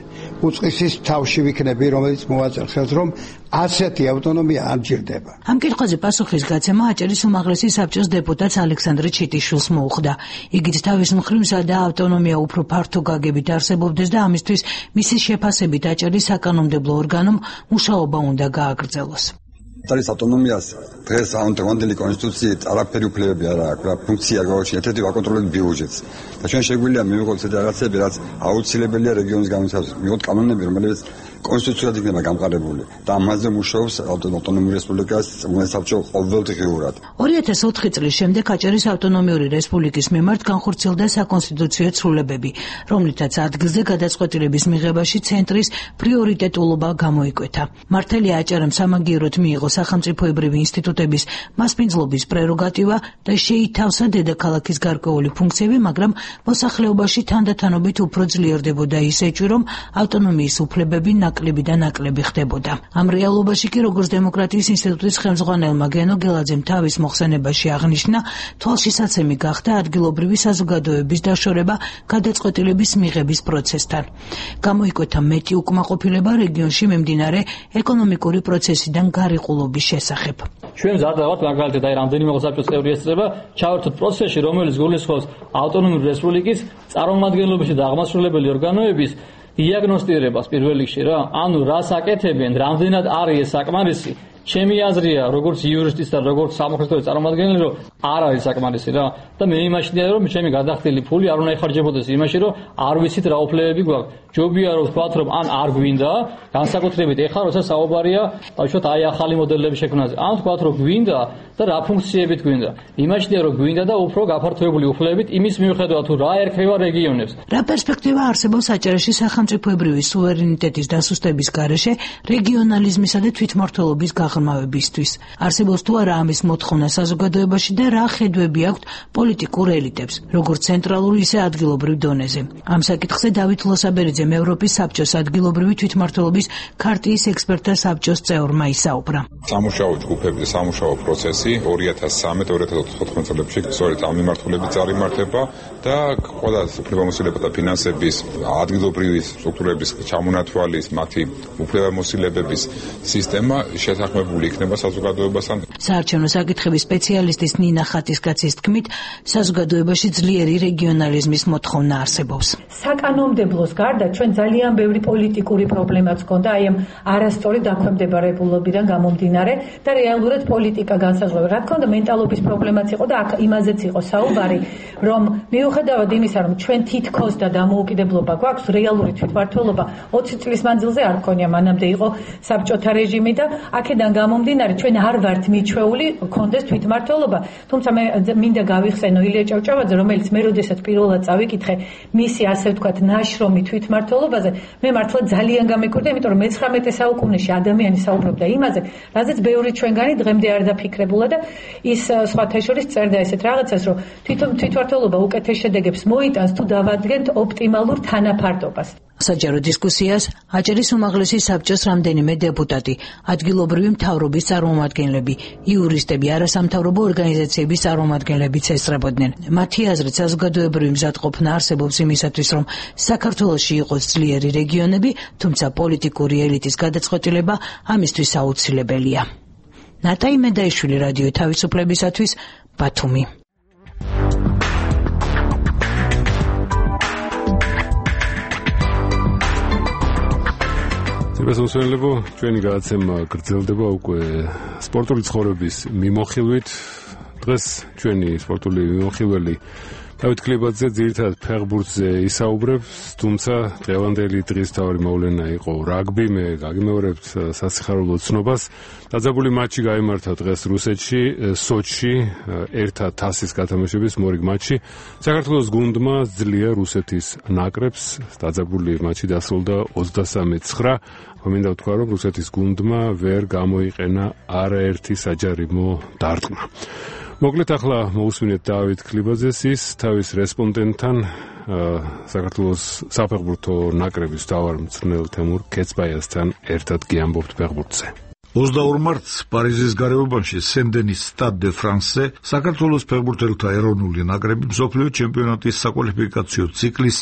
უწყისის თავში ვიქნები, რომელიც მოვაწერ ხელს, რომ ასეთი ავტონომია არ ჯერდება. ამ კითხვაზე პასუხის გაცემა აჭარის უმაღლესი საბჭოს დეპუტატს ალექსანდრე ჩიტიშვილს მოუხდა. იგიც თავის მხრივ სადა ავტონომია უფრო ფართო გაგებით არსებობდეს და ამისთვის მისი შეფასებით აჭარის საკანონმდებლო ორგანომ მუშაობა უნდა გააგრძელოს. აჭარის ავტონომიას დღეს ამონტემანდელი კონსტიტუციით არაფერი უფლებები არ აქვს, რა ფუნქცია გაუჩნია, ერთ-ერთი ვაკონტროლოთ ბიუჯეტს. და ჩვენ შეგვიძლია მივიღოთ ესეთი რაღაცები, რაც აუცილებელია რეგიონის განვითარებისთვის. მივიღოთ კანონები, რომელიც კონსტიტუციურად იქნება გამყარებული და ამაზე მუშაობს ავტონომიური რესპუბლიკის საბჭო ყოველდღიურად. 2004 წლის შემდეგ აჭარის ავტონომიური რესპუბლიკის მიმართ განხორციელდა საკონსტიტუციო ცვლილებები, რომლითაც ადგილზე გადაწყვეტილების მიღებაში ცენტრის პრიორიტეტულობა გამოიკვეთა. მართალია აჭარამ სამაგიეროდ მიიღო სახელმწიფოებრივი ინსტიტუტების მასპინძლობის პრეროგატივა და შეითავსა დედაქალაქის გარკვეული ფუნქციები, მაგრამ მოსახლეობაში თანდათანობით უფრო ძლიერდებოდა ის ეჭვი, რომ ავტონომიის უფლებები ნაკლები და ნაკლები ხდებოდა. ამ რეალობაში კი, როგორც დემოკრატიის ინსტიტუტის ხელმძღვანელმა გენო გელაძემ თავის მოხსენებაში აღნიშნა, თვალშისაცემი გახდა ადგილობრივი საზოგადოების დაშორება გადაწყვეტილების მიღების პროცესთან. გამოიკვეთა მეტი უკმაყოფილება რეგიონში მიმდინარე ეკონომიკური პროცესიდან გარიყულობის შესახებ. ჩვენ მზადავართ მაგალითად აი რამდენიმე მოსაბჭოს წევრი ესწრება ჩავერთოთ პროცესში, რომელიც გულისხმობს ავტონომიური რესპუბლიკის წარმომადგენლობისა და აღმასრულებელი ორგანოების დიაგნოსტირებას პირველ რიგში რა, ანუ რას აკეთებენ, რამდენად არის ეს საკმარისი ჩემი აზრია, როგორც იურისტის და როგორც სამართლებრივი წარმომადგენელი, რომ არ არის საკმარისი რა და მე იმაში ვარ, რომ ჩემი გადახდილი ფული არ უნდა იხარჯებოდეს იმაში, რომ არ ვიცით რა უფლებები გვაქვს. ჯობია რომ ვთქვათ, რომ ან არ გვინდა, განსაკუთრებით ეხლა, როცა საუბარია, ბავშვოთ, აი ახალი მოდელების შექმნაზე. ან ვთქვათ, რომ გვინდა და რა ფუნქციებით გვინდა. იმაშია რომ გვინდა და უფრო გაფართოებული უფლებებით იმის მიუხედავად თუ რა ერქმევა რეგიონებს. რა პერსპექტივა არსებობს საჭიროში სახელმწიფოებრივი სუვერენიტეტის დასუსტების გარეშე რეგიონალიზმისა და თვითმმართველობის გაღრმავებისთვის? არსებობს თუ არა ამის მოთხოვნა საზოგადოებაში და რა ხედვები აქვთ პოლიტიკურ ელიტებს, როგორც ცენტრალურ, ისე ადგილობრივ დონეზე? ამ საკითხზე დავით ლოსაბერიძემ ევროპის საბჭოს ადგილობრივი თვითმმართველობის ქარტიის ექსპერტთა საბჭოს წევრმა ისაუბრა. სამუშაო ჯგუფები და სამუშაო პროცესი 2013-2014 წლებში სწორედ ამ მიმართულებით წარიმართება და ყველა უფლებამოსილება და ფინანსების ადგილობრივი სტრუქტურების ჩამონათვალის, მათი უფლებამოსილებების სისტემა შეთანხმებული იქნება საზოგადოებასთან. საარჩევნო საკითხების სპეციალისტის ნინა ხატისკაცის თქმით, საზოგადოებაში ძლიერი რეგიონალიზმის მოთხოვნა არსებობს. საკანონმდებლოს გარდა ჩვენ ძალიან ბევრი პოლიტიკური პრობლემაც ჰქონდა აი ამ არასწორი დაქვემდებარებულობიდან გამომდინარე და რეალურად პოლიტიკა განსაზღვრება. რა თქმა უნდა, მენტალობის პრობლემაც იყო და აქ იმაზეც იყო საუბარი, რომ მიუხედავად იმისა, რომ ჩვენ თითქოს და დამოუკიდებლობა გვაქვს, რეალური თვითმმართველობა 20 წლის მანძილზე არ ქონია, მანამდე იყო საბჭოთა რეჟიმი და აქედან გამომდინარე ჩვენ არ ვართ მიჩვეული გქონდეს თვითმმართველობა. თუმცა მე მინდა გავიხსენო ილია ჭავჭავაძე, რომელიც მე როდესაც პირველად წავიკითხე მისი ასე ვთქვათ ნაშრომი თვითმმართველობაზე, მე მართლა ძალიან გამეკვირდა, იმიტომ რომ მე-19 საუკუნეში ადამიანი საუბრობდა იმაზე, რაზეც ბევრი ჩვენგანი დღემდე არ დაფიქრებულა და ის სხვათა შორის წერდა ესეთ რაღაცას, რომ თვითმმართველობა უკეთეს შედეგებს მოიტანს თუ დავადგენთ ოპტიმალურ თანაფარდობას. საჯარო დისკუსიას აჭარის უმაღლესი საბჭოს რამდენიმე დეპუტატი, ადგილობრივი მთავრობის წარმომადგენლები, იურისტები, არასამთავრობო ორგანიზაციების წარმომადგენლებიც ესწრებოდნენ. მათი აზრით, საზოგადოებრივი მზადყოფნა არსებობს იმისათვის, რომ საქართველოში იყოს ძლიერი რეგიონები, თუმცა პოლიტიკური ელიტის გადაწყვეტილება ამისთვის აუცილებელია. ნატაი მედაიშვილი, რადიო თავისუფლებისათვის, ბათუმი. მოსმენელებო, ჩვენი გადაცემა გრძელდება უკვე სპორტული ცხოვრების მიმოხილვით. დღეს ჩვენი სპორტული მიმოხილველი დავით კლებაძე ძირითადად ფეხბურთზე ისაუბრებს, თუმცა დღევანდელი დღის თავი მოვლენა იყო რაგბი. მე გაგიმეორებთ სასიხარულო ცნობას. დაძაბული მატჩი გაიმართა დღეს რუსეთში, სოჩში, ერთად თასის გათამაშების მორიგ მატჩი. საქართველოს გუნდმა ძლია რუსეთის ნაკრებს. დაძაბული მატჩი დასრულდა 23-9. მინდა ვთქვა, რომ რუსეთის გუნდმა ვერ გამოიყენა არაერთი საჯარიმო დარტყმა. მოკლედ ახლა მოусმინეთ დავით კლებაძეს, ის თავის რესპონდენტთან საქართველოს საფეხბურთო ნაკრების მთავარ მწვრთნელ თემურ ქეცბაიასთან ერთად გიამბობთ ფეხბურთზე. 22 მარტს პარიზის გარეუბანში სენ-დენის სტად დე ფრანსზე საქართველოს ფეხბურთელთა ეროვნული ნაკრები მსოფლიო ჩემპიონატის საკვალიფიკაციო ციკლის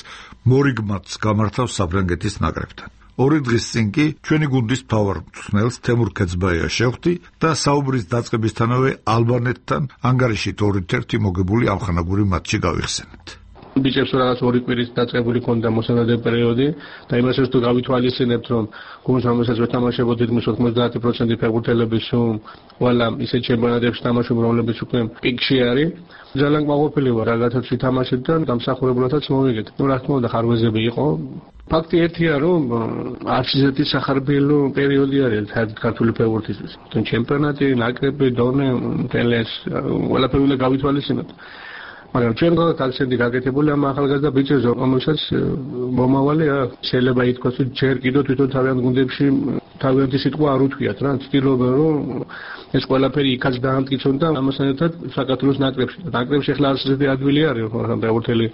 მორიგ მატჩს გამართავს საფრანგეთის ნაკრებთან. ორი დღის წინ კი ჩვენი გუნდის მთავარ მწვრთნელს თემურ ქეცბაიას შევხვდი და საუბრის დაწყებისთანავე ალბანეთთან ანგარიშით 2-1 მოგებული ამხანაგური მატჩი გავიხსენეთ. ბიჭებს რაღაც ორი კვირის დაწყებული ქონდა მოსამართლე პერიოდი და იმასაც თუ გავითვალისწინებთ, რომ გუნდს რომელსაც ვეთამაშებოდით, მის 90% ფეხბურთელების ყველა ისე ჩემპიონატებში თამაშობ, რომლებიც უკვე პიკში არის. ძალიან გაყოფილი ვარ, რაღაცაც ვითამაშეთ და დამსახურებულადაც მოვიგეთ. რა თქმა უნდა, ხარვეზები იყო. ფაქტი ერთია, რომ არც ისეთი სახარბიელო პერიოდი არის ქართული ფეხბურთისთვის. ჩემპიონატი, ნაკრები, დონე, ტელეს, ყველაფერი უნდა გავითვალისწინოთ. მაგრამ ჩვენ გაქცევდი გაკეთებული ამ ახალგაზრდა ბიჭებს, რომელსაც მომავალი შეიძლება ითქვას, რომ ჯერ კიდევ თვითონ თავიანთ გუნდებში თავიანთი სიტყვა არ უთქვიათ რა, ცდილობენ რომ ეს ყველაფერი იქაც დაამტკიცონ და ამასთან ერთად საქართველოს ნაკრებში ახლა ასეთი ადვილი არის, მაგრამ ფეხბურთელი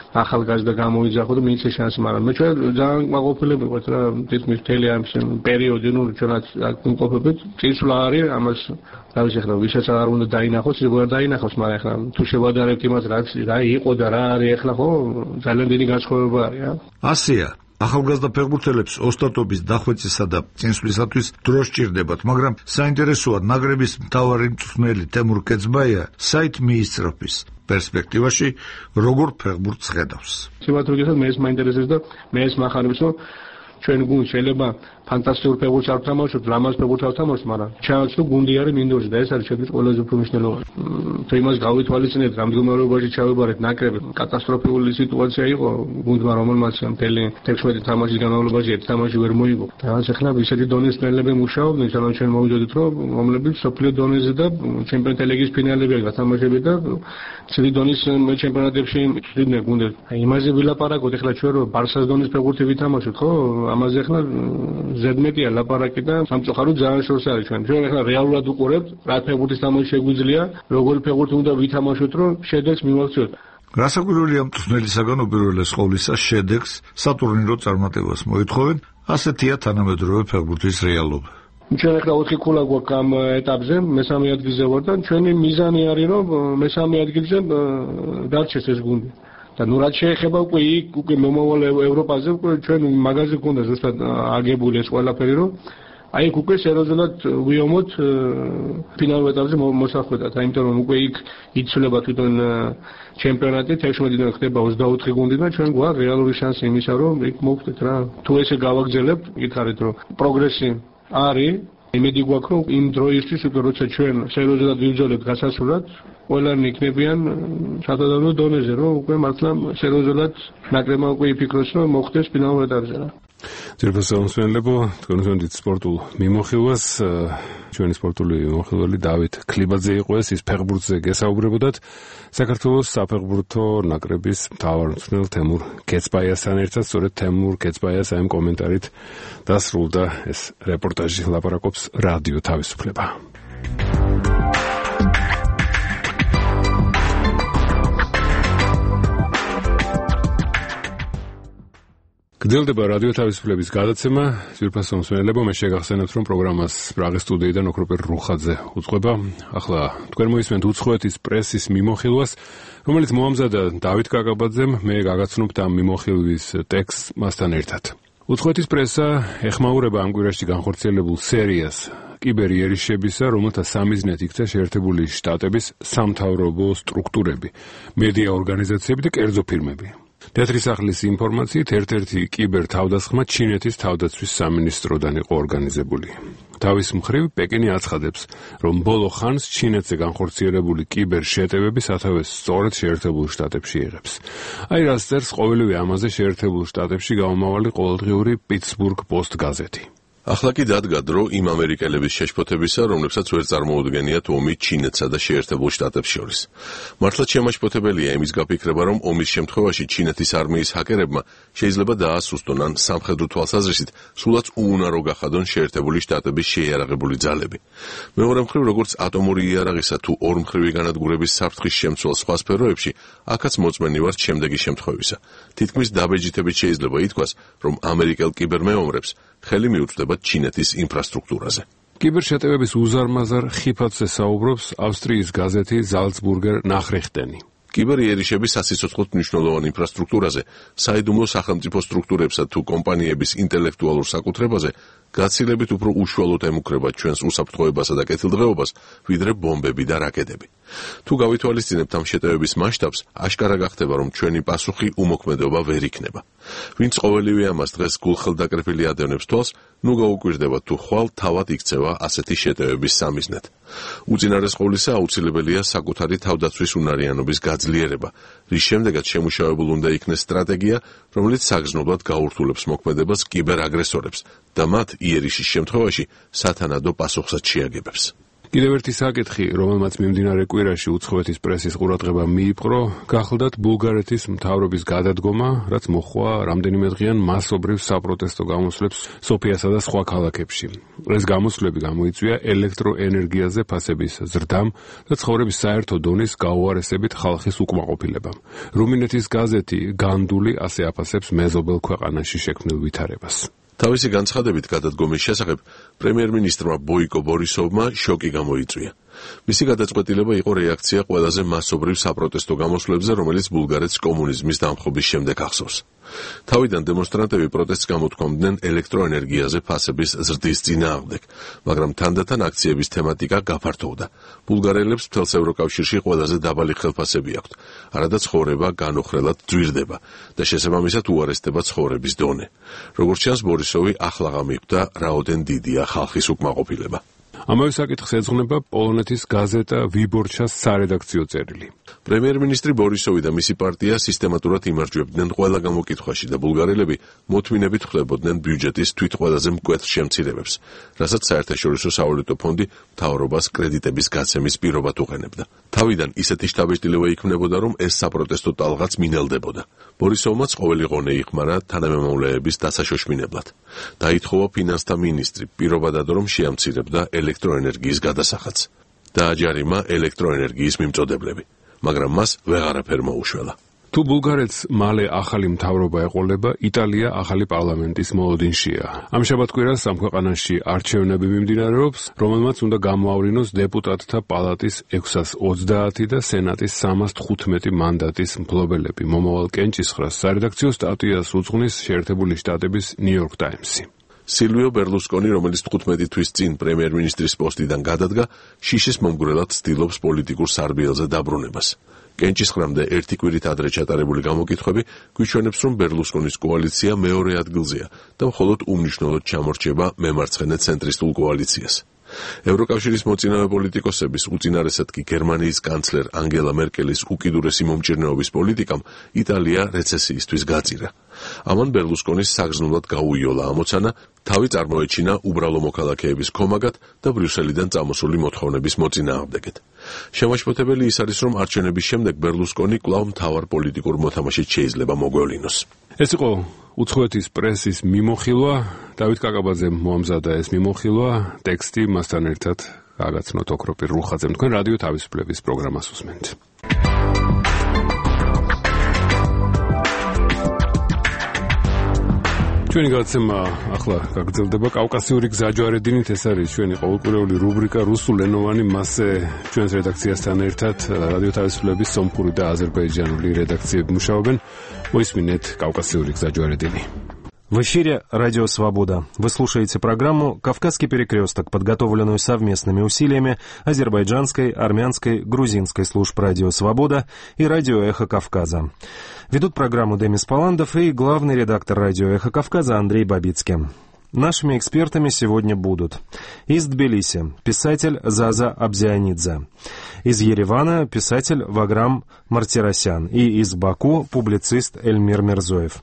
ახალგაზრდა გამოიძახო და მიიღე შანსი, მაგრამ მე ჩვენ ძალიან მაყოფილები ვართ რა, თითქმის მთელი ამ პერიოდი, ნუ ჩვენაც ვიმყოფებით, წინსვლა არის, ამას რა ვიცი ახლა ვისაც არ უნდა დაინახოს, ის ვერ დაინახოს, მაგრამ ახლა თუ შევადარებთ იმას, რა იყო და რა არის ახლა, ხო, ძალიან დიდი განსხვავება არის რა. ასეა ახალგაზრდა ფეხბურთელებს ოსტატობის დახვეწისა და წინსვლისათვის დრო სჭირდებათ, მაგრამ საინტერესოა ნაკრების მთავარი მწვრთნელი თემურ ქეცბაია საით მიისწრაფის პერსპექტივაში როგორ ფეხბურთს ხედავს. სიმართლე გითხრათ, მე ეს მაინტერესებს და მე ეს მახარებს, რომ ჩვენ გუნდს შეიძლება ფანტასტიკურ ფეხბურთს არ ვთამაშობთ, ლამაზ ფეხბურთს არ ვთამაშობთ, მაგრამ ჩანს რომ გუნდი არის მინდორზე და ეს არის ჩემთვის ყველაზე უფრო მნიშვნელოვანი. თუ იმას გავითვალისწინებთ, რამ მდგომარეობაში ჩავიბარეთ ნაკრები, კატასტროფული სიტუაცია იყო გუნდმა, რომელმაც მთელი 16 თამაშის განმავლობაში ერთ თამაში ვერ მოიგო. და ახლა ისეთი დონის მწვრთნელები მუშაობდნენ, სანამ ჩვენ მოვიდოდით, რომ რომლებიც სოფლიო დონეზე და ჩემპიონთა ლიგის ფინალები გათამაშებდა და ცივი დონის ჩემპიონატებში იყვნენ გუნდები. აი იმაზე ვილაპარაკოთ, ახლა ჩვენ რომ ბარსას დონის ფეხბურთი ვითამაშოთ, ხო? ამაზე ახლა ზედმეტია ლაპარაკი და სამწუხაროდ ძალიან შორს არის ჩვენ. ჩვენ ახლა რეალურად უყურებთ, რა ფეხბურთის თამაში შეგვიძლია, როგორი ფეხბურთი უნდა ვითამაშოთ, რომ შედეგს მივაღწიოთ. გასაკვირველია მწვრთნელისაგან უპირველეს ყოვლისა შედეგს სატურნირო წარმატებას მოითხოვენ, ასეთია თანამედროვე ფეხბურთის რეალობა. ჩვენ ახლა 4 ქულა გვაქვს ამ ეტაპზე, მესამე ადგილზე ვარ და ჩვენი მიზანი არის, რომ მესამე ადგილზე დარჩეს ეს გუნდი. და ნუ რაც შეეხება უკვე მომავალ ევროპაზე, ჩვენ მაგაზე გქონდა ზუსტად აგებული ეს ყველაფერი, რომ აი უკვე სერიოზულად ვიომოთ ფინალურ ეტაპზე მოსახვედრად, იმიტომ რომ უკვე იქ იცვლება თვითონ ჩემპიონატი, 16-დან ხდება 24 გუნდი და ჩვენ გვაქვს რეალური შანსი იმისა, რომ იქ მოვხდეთ რა. თუ ესე გავაგრძელებთ, იკითხარით რომ პროგრესი არის, იმედი გვაქვს, რომ იმ დროისთვის უკვე როცა ჩვენ სერიოზულად ვიბრძოლებთ გასასრულად, ყველანი იქნებიან სადადო დონეზე, რომ უკვე მართლა სერიოზულად ნაკრებმა უკვე იფიქროს, რომ მოხდეს ფინალურ ეტაპზე რა. ძირფას სამსვენლებო, თქვენ ვთქვით სპორტულ მიმოხილვას, ჩვენი სპორტული მიმოხილველი დავით ქლიბაძე იყო ეს, ის ფეხბურთზე გესაუბრებოდათ საქართველოს საფეხბურთო ნაკრების მთავარ მწვრთნელ თემურ კეცბაიასთან ერთად, სწორედ თემურ კეცბაიას ამ კომენტარით დასრულდა ეს რეპორტაჟი, ლაპარაკობს რადიო თავისუფლება. გრძელდება რადიო თავისუფლების გადაცემა, ძვირფას სამსვენელებო, მე შეგახსენებთ, რომ პროგრამას პრაღის სტუდიიდან ოქროპერ რუხაძე უძღვება. ახლა თქვენ მოისმენთ უცხოეთის პრესის მიმოხილვას, რომელიც მოამზადა დავით კაკაბაძემ, მე გაგაცნობთ ამ მიმოხილვის ტექსტს მასთან ერთად. უცხოეთის პრესა ეხმაურება ამ კვირაში განხორციელებულ სერიას კიბერიერიშებისა, რომელთა სამიზნედ იქცა შეერთებული შტატების სამთავრობო სტრუქტურები, მედია ორგანიზაციები და კერძო ფირმები. თეთრი სახლის ინფორმაციით ერთ-ერთი კიბერ თავდასხმა ჩინეთის თავდაცვის სამინისტროდან იყო ორგანიზებული. თავის მხრივ პეკინი აცხადებს, რომ ბოლო ხანს ჩინეთზე განხორციელებული კიბერ შეტევები სათავეს სწორედ შეერთებულ შტატებში იღებს. აი რას წერს ყოველივე ამაზე შეერთებულ შტატებში გამომავალი ყოველდღიური პიტსბურგ პოსტ გაზეთი. ახლა კი დადგა დრო იმ ამერიკელების შეშფოთებისა, რომლებსაც ვერ წარმოუდგენიათ ომი ჩინეთსა და შეერთებულ შტატებს შორის. მართლაც შემაშფოთებელია იმის გაფიქრება, რომ ომის შემთხვევაში ჩინეთის არმიის ჰაკერებმა შეიძლება დაასუსტონ ან სამხედრო თვალსაზრისით სულაც უუნარო გახადონ შეერთებული შტატების შეიარაღებული ძალები. მეორე მხრივ, როგორც ატომური იარაღისა თუ ორმხრივი განადგურების საფრთხის შემცველ სხვა სფეროებში, აქაც მოწმენი ვართ შემდეგი შემთხვევისა. თითქმის დაბეჯითებით შეიძლება ითქვას, რომ ამერიკელ კიბერმეომრებს ხელი მიუწვდება ჩინეთის ინფრასტრუქტურაზე. კიბერშეტევების უზარმაზარ ხიფათზე საუბრობს ავსტრიის გაზეთი ზალცბურგერ ნახრიხტენი. კიბერიერიშების სასიცოცხლოდ მნიშვნელოვან ინფრასტრუქტურაზე, საიდუმლო სახელმწიფო სტრუქტურებსა თუ კომპანიების ინტელექტუალურ საკუთრებაზე გაცილებით უფრო უშუალოდ ემუქრება ჩვენს უსაფრთხოებასა და კეთილდღეობას, ვიდრე ბომბები და რაკეტები. თუ გავითვალისწინებთ ამ შეტევების მასშტაბს, აშკარა გახდება, რომ ჩვენი პასუხი უმოქმედობა ვერ იქნება. ვინც ყოველივე ამას დღეს გულხელდაკრეფილი ადევნებს თვალს, ნუ გაუკვირდება თუ ხვალ თავად იქცევა ასეთი შეტევების სამიზნედ. უწინარეს ყოვლისა აუცილებელია საკუთარი თავდაცვის უნარიანობის გაძლიერება, რის შემდეგაც შემუშავებულ უნდა იქნეს სტრატეგია, რომელიც საგრძნობლად გაურთულებს მოქმედებას კიბერაგრესორებს და მათ იერიშის შემთხვევაში სათანადო პასუხსაც შეაგებებს. კიდევ ერთი საკითხი, რომელმაც მიმდინარე კვირაში უცხოეთის პრესის ყურადღება მიიპყრო, გახლდათ ბულგარეთის მთავრობის გადადგომა, რაც მოჰყვა რამდენიმედღიან მასობრივ საპროტესტო გამოსვლებს სოფიასა და სხვა ქალაქებში. ეს გამოსვლები გამოიწვია ელექტროენერგიაზე ფასების ზრდამ და ცხოვრების საერთო დონის გაუარესებით ხალხის უკმაყოფილებამ. რუმინეთის გაზეთი განდული ასე აფასებს მეზობელ ქვეყანაში შექმნილ ვითარებას. თავისი განცხადებით გადადგომის შესახებ პრემიერ-მინისტრმა ბოიკო ბორისოვმა შოკი გამოიწვია. მისი გადაწყვეტილება იყო რეაქცია ყველაზე მასობრივ საპროტესტო გამოსვლებზე, რომელიც ბულგარეთს კომუნიზმის დამხობის შემდეგ ახსოვს. თავიდან დემონსტრანტები პროტესტს გამოთქვამდნენ ელექტროენერგიაზე ფასების ზრდის წინააღმდეგ, მაგრამ თანდათან აქციების თემატიკა გაფართოვდა. ბულგარელებს მთელს ევროკავშირში ყველაზე დაბალი ხელფასები აქვთ, არადა ცხოვრება განუხრელად ძვირდება და შესაბამისად უარესდება ცხოვრების დონე. როგორც ჩანს, ბორისოვი ახლა გამიხვდა, რაოდენ დიდია ხალხის უკმაყოფილება. ამავე საკითხს ეძღვნება პოლონეთის გაზეტა ვიბორჩას სარედაქციო წერილი. პრემიერ-მინისტრი ბორისოვი და მისი პარტია სისტემატურად იმარჯვებდნენ ყველა გამოკითხვაში და ბულგარელები მოთმინებით ხვდებოდნენ ბიუჯეტის თვით ყველაზე მკვეთრ შემცირებებს, რასაც საერთაშორისო სავალუტო ფონდი მთავრობას კრედიტების გაცემის პირობად უყენებდა. თავიდან ისეთი შთაბეჭდილება იქმნებოდა, რომ ეს საპროტესტო ტალღაც მინელდებოდა. ბორისოვმაც ყოველი ღონე იხმარა თანამემამულეების დასაშოშმინებლად. დაითხოვა ფინანსთა მინისტრი პირობადად, რომ შეამცირებდა ელექტროენერგიის გადასახადს. დააჯარიმა ელექტროენერგიის მიმწოდებლები. მაგრამ მას ვეღარაფერ მოუშველა. თუ ბულგარეთს მალე ახალი მთავრობა ეყოლება, იტალია ახალი პარლამენტის მოლოდინშია. ამ შაბათ-კვირას ამ ქვეყანაში არჩევნები მიმდინარეობს, რომელმაც უნდა გამოავრინოს დეპუტატთა პალატის 630 და სენატის 315 მანდატის მფლობელები. მომავალ კენჭისყრას სარედაქციო სტატიას უძღვნის შეერთებული შტატების New York Times-ი. სილვიო ბერლუსკონი, რომელიც 15 თვის წინ პრემიერ-მინისტრის პოსტიდან გადადგა, შიშის მომგვრელად ცდილობს პოლიტიკურ სარბიელზე დაბრუნებას. კენჭისყრამდე ერთი კვირით ადრე ჩატარებული გამოკითხვები გვიჩვენებს, რომ ბერლუსკონის კოალიცია მეორე ადგილზეა და მხოლოდ უმნიშვნელოდ ჩამორჩება მემარცხენე ცენტრისტულ კოალიციას. ევროკავშირის მოწინავე პოლიტიკოსების, უწინარესად კი გერმანიის კანცლერ ანგელა მერკელის უკიდურესი მომჭირნეობის პოლიტიკამ იტალია რეცესიისთვის გაწირა. ამან ბერლუსკონის საგრძნულად გაუიოლა ამოცანა, თავი წარმოეჩინა უბრალო მოქალაქეების ქომაგად და ბრიუსელიდან წამოსული მოთხოვნების მოწინააღმდეგეთ. შემაშფოთებელი ის არის, რომ არჩევნების შემდეგ ბერლუსკონი კვლავ მთავარ პოლიტიკურ მოთამაშედ შეიძლება მოგვევლინოს. ეს იყო უცხოეთის პრესის მიმოხილვა. დავით კაკაბაძემ მოამზადა ეს მიმოხილვა, ტექსტი მასთან ერთად გაგაცნოთ ოქროპირ რუხაძემ. თქვენ რადიო თავისუფლების პროგრამას უსმენთ. ჩვენი გადაცემა ახლა გაგრძელდება კავკასიური გზაჯვარედინით. ეს არის ჩვენი ყოველკვირეული რუბრიკა რუსულენოვანი, მასზე ჩვენს რედაქციასთან ერთად რადიო თავისუფლების სომხური და აზერბაიჯანული რედაქციები მუშაობენ. მოისმინეთ კავკასიური გზაჯვარედინი. В эфире «Радио Свобода». Вы слушаете программу «Кавказский перекресток», подготовленную совместными усилиями азербайджанской, армянской, грузинской служб «Радио Свобода» и «Радио Эхо Кавказа». Ведут программу Демис Паландов и главный редактор «Радио Эхо Кавказа» Андрей Бабицкий. Нашими экспертами сегодня будут из Тбилиси писатель Заза Абзианидзе, из Еревана писатель Ваграм Мартиросян и из Баку публицист Эльмир Мирзоев.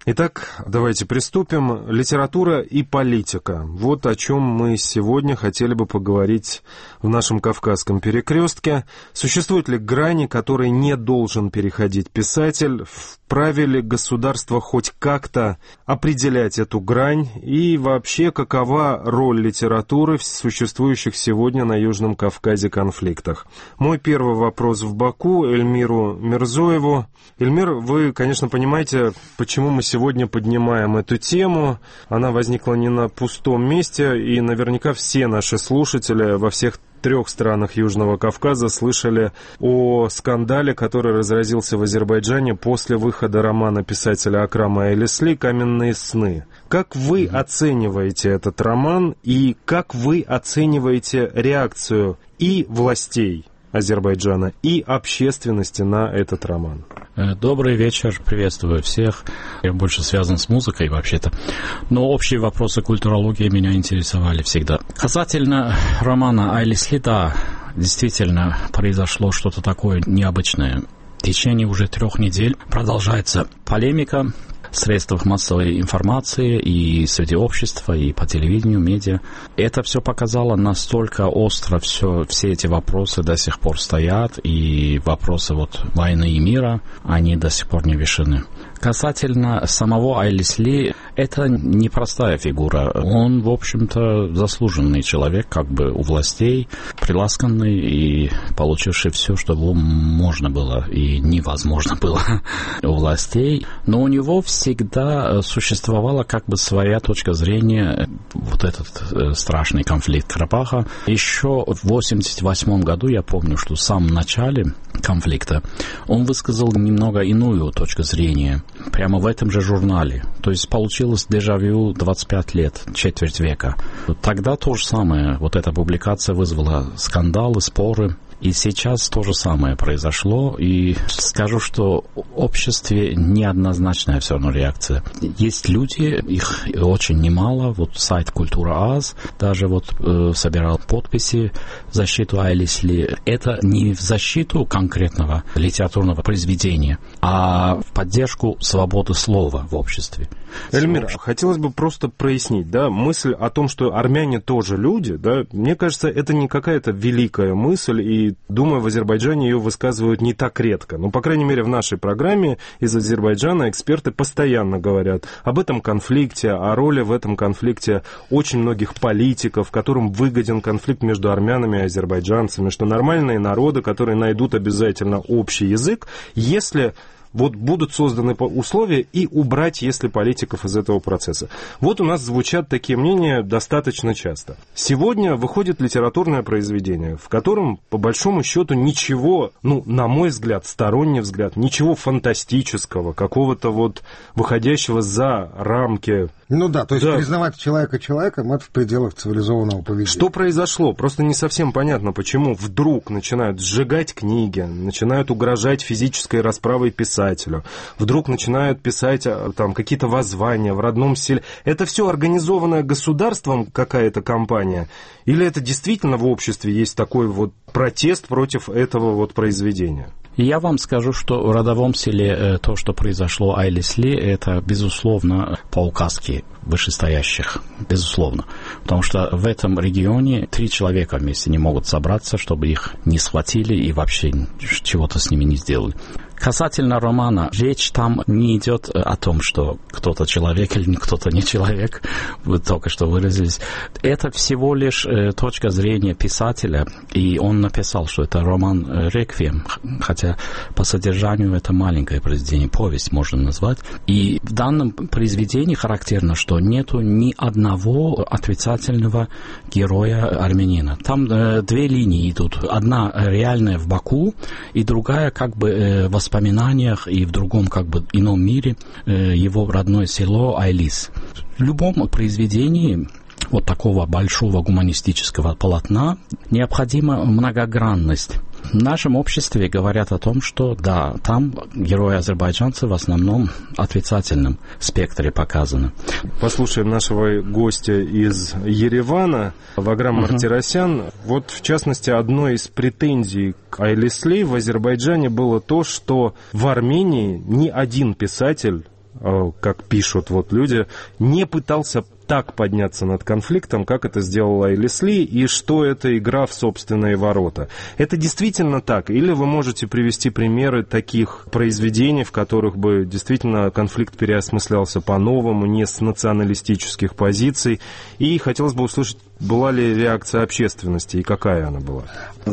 Итак, давайте приступим. Литература и политика. Вот о чем мы сегодня хотели бы поговорить в нашем Кавказском перекрестке. Существуют ли грани, которые не должен переходить писатель? Вправе ли государство хоть как-то определять эту грань? И вообще, какова роль литературы в существующих сегодня на Южном Кавказе конфликтах? Мой первый вопрос в Баку Эльмиру Мирзоеву. Эльмир, вы, конечно, понимаете, почему мы сегодня поднимаем эту тему. Она возникла не на пустом месте, и наверняка все наши слушатели во всех 3 странах Южного Кавказа слышали о скандале, который разразился в Азербайджане после выхода романа писателя Акрама Элисли «Каменные сны». Как вы оцениваете этот роман, и как вы оцениваете реакцию и властей Азербайджана, и общественности на этот роман? Добрый вечер, приветствую всех. Я больше связан с музыкой вообще-то, но общие вопросы культурологии меня интересовали всегда. Касательно романа Элисли, да, действительно произошло что-то такое необычное. В течение уже 3 недель продолжается полемика в средствах массовой информации и среди общества, и по телевидению, медиа. Это все показало, настолько остро все эти вопросы до сих пор стоят, и вопросы войны и мира, они до сих пор не решены. Касательно самого Элисли, это непростая фигура. Он, в общем-то, заслуженный человек, как бы у властей, приласканный и получивший все, что можно было и невозможно было у властей. Но у него всегда существовала как бы своя точка зрения, вот этот страшный конфликт Карабаха. Еще в 1988 году, я помню, что в самом начале конфликта он высказал немного иную точку зрения. прямо в этом же журнале. То есть получилось дежавю 25 лет, четверть века. Тогда то же самое. Вот эта публикация вызвала скандалы, споры. И сейчас то же самое произошло, и скажу, что в обществе неоднозначная все равно реакция. Есть люди, их очень немало, вот сайт «Культура АЗ» даже вот собирал подписи в защиту Айлис Ли. Это не в защиту конкретного литературного произведения, а в поддержку свободы слова в обществе. Эльмир, хотелось бы просто прояснить, да, мысль о том, что армяне тоже люди, да, мне кажется, это не какая-то великая мысль, и, думаю, в Азербайджане ее высказывают не так редко. Но, по крайней мере, в нашей программе из Азербайджана эксперты постоянно говорят об этом конфликте, о роли в этом конфликте очень многих политиков, которым выгоден конфликт между армянами и азербайджанцами, что нормальные народы, которые найдут обязательно общий язык, если вот будут созданы условия, и убрать, если политиков из этого процесса. Вот у нас звучат такие мнения достаточно часто. Сегодня выходит литературное произведение, в котором, по большому счету, ничего, на мой взгляд, сторонний взгляд, ничего фантастического, какого-то вот выходящего за рамки. То есть признавать человека человеком — это в пределах цивилизованного поведения. Что произошло? Просто не совсем понятно, почему вдруг начинают сжигать книги, начинают угрожать физической расправой писателю, вдруг начинают писать там какие-то воззвания в родном селе. Это все организованное государством какая-то кампания? Или это действительно в обществе есть такой вот протест против этого вот произведения? Я вам скажу, что в родовом селе то, что произошло Айлис Ли, это, безусловно, по указке вышестоящих, безусловно. Потому что в этом регионе 3 человека вместе не могут собраться, чтобы их не схватили и вообще чего-то с ними не сделали. Касательно романа, речь там не идет о том, что кто-то человек или кто-то не человек, вы только что выразились. Это всего лишь точка зрения писателя, и он написал, что это роман «Реквием», хотя по содержанию это маленькое произведение, повесть можно назвать. И в данном произведении характерно, что нету ни одного отрицательного героя армянина. Там 2 линии идут. Одна реальная в Баку, и другая как бы в воспоминаниях и в другом как бы ином мире его родное село Айлис. В любом произведении вот такого большого гуманистического полотна необходима многогранность. В нашем обществе говорят о том, что да, там герои азербайджанцы в основном в отрицательном спектре показаны. Послушаем нашего гостя из Еревана, Ваграм Мартиросян. Вот, в частности, одной из претензий к Айлис Ли в Азербайджане было то, что в Армении ни один писатель, как пишут вот люди, не пытался так подняться над конфликтом, как это сделала Айлис Ли, и что это игра в собственные ворота. Это действительно так? Или вы можете привести примеры таких произведений, в которых бы действительно конфликт переосмыслялся по-новому, не с националистических позиций? И хотелось бы услышать, была ли реакция общественности, и какая она была?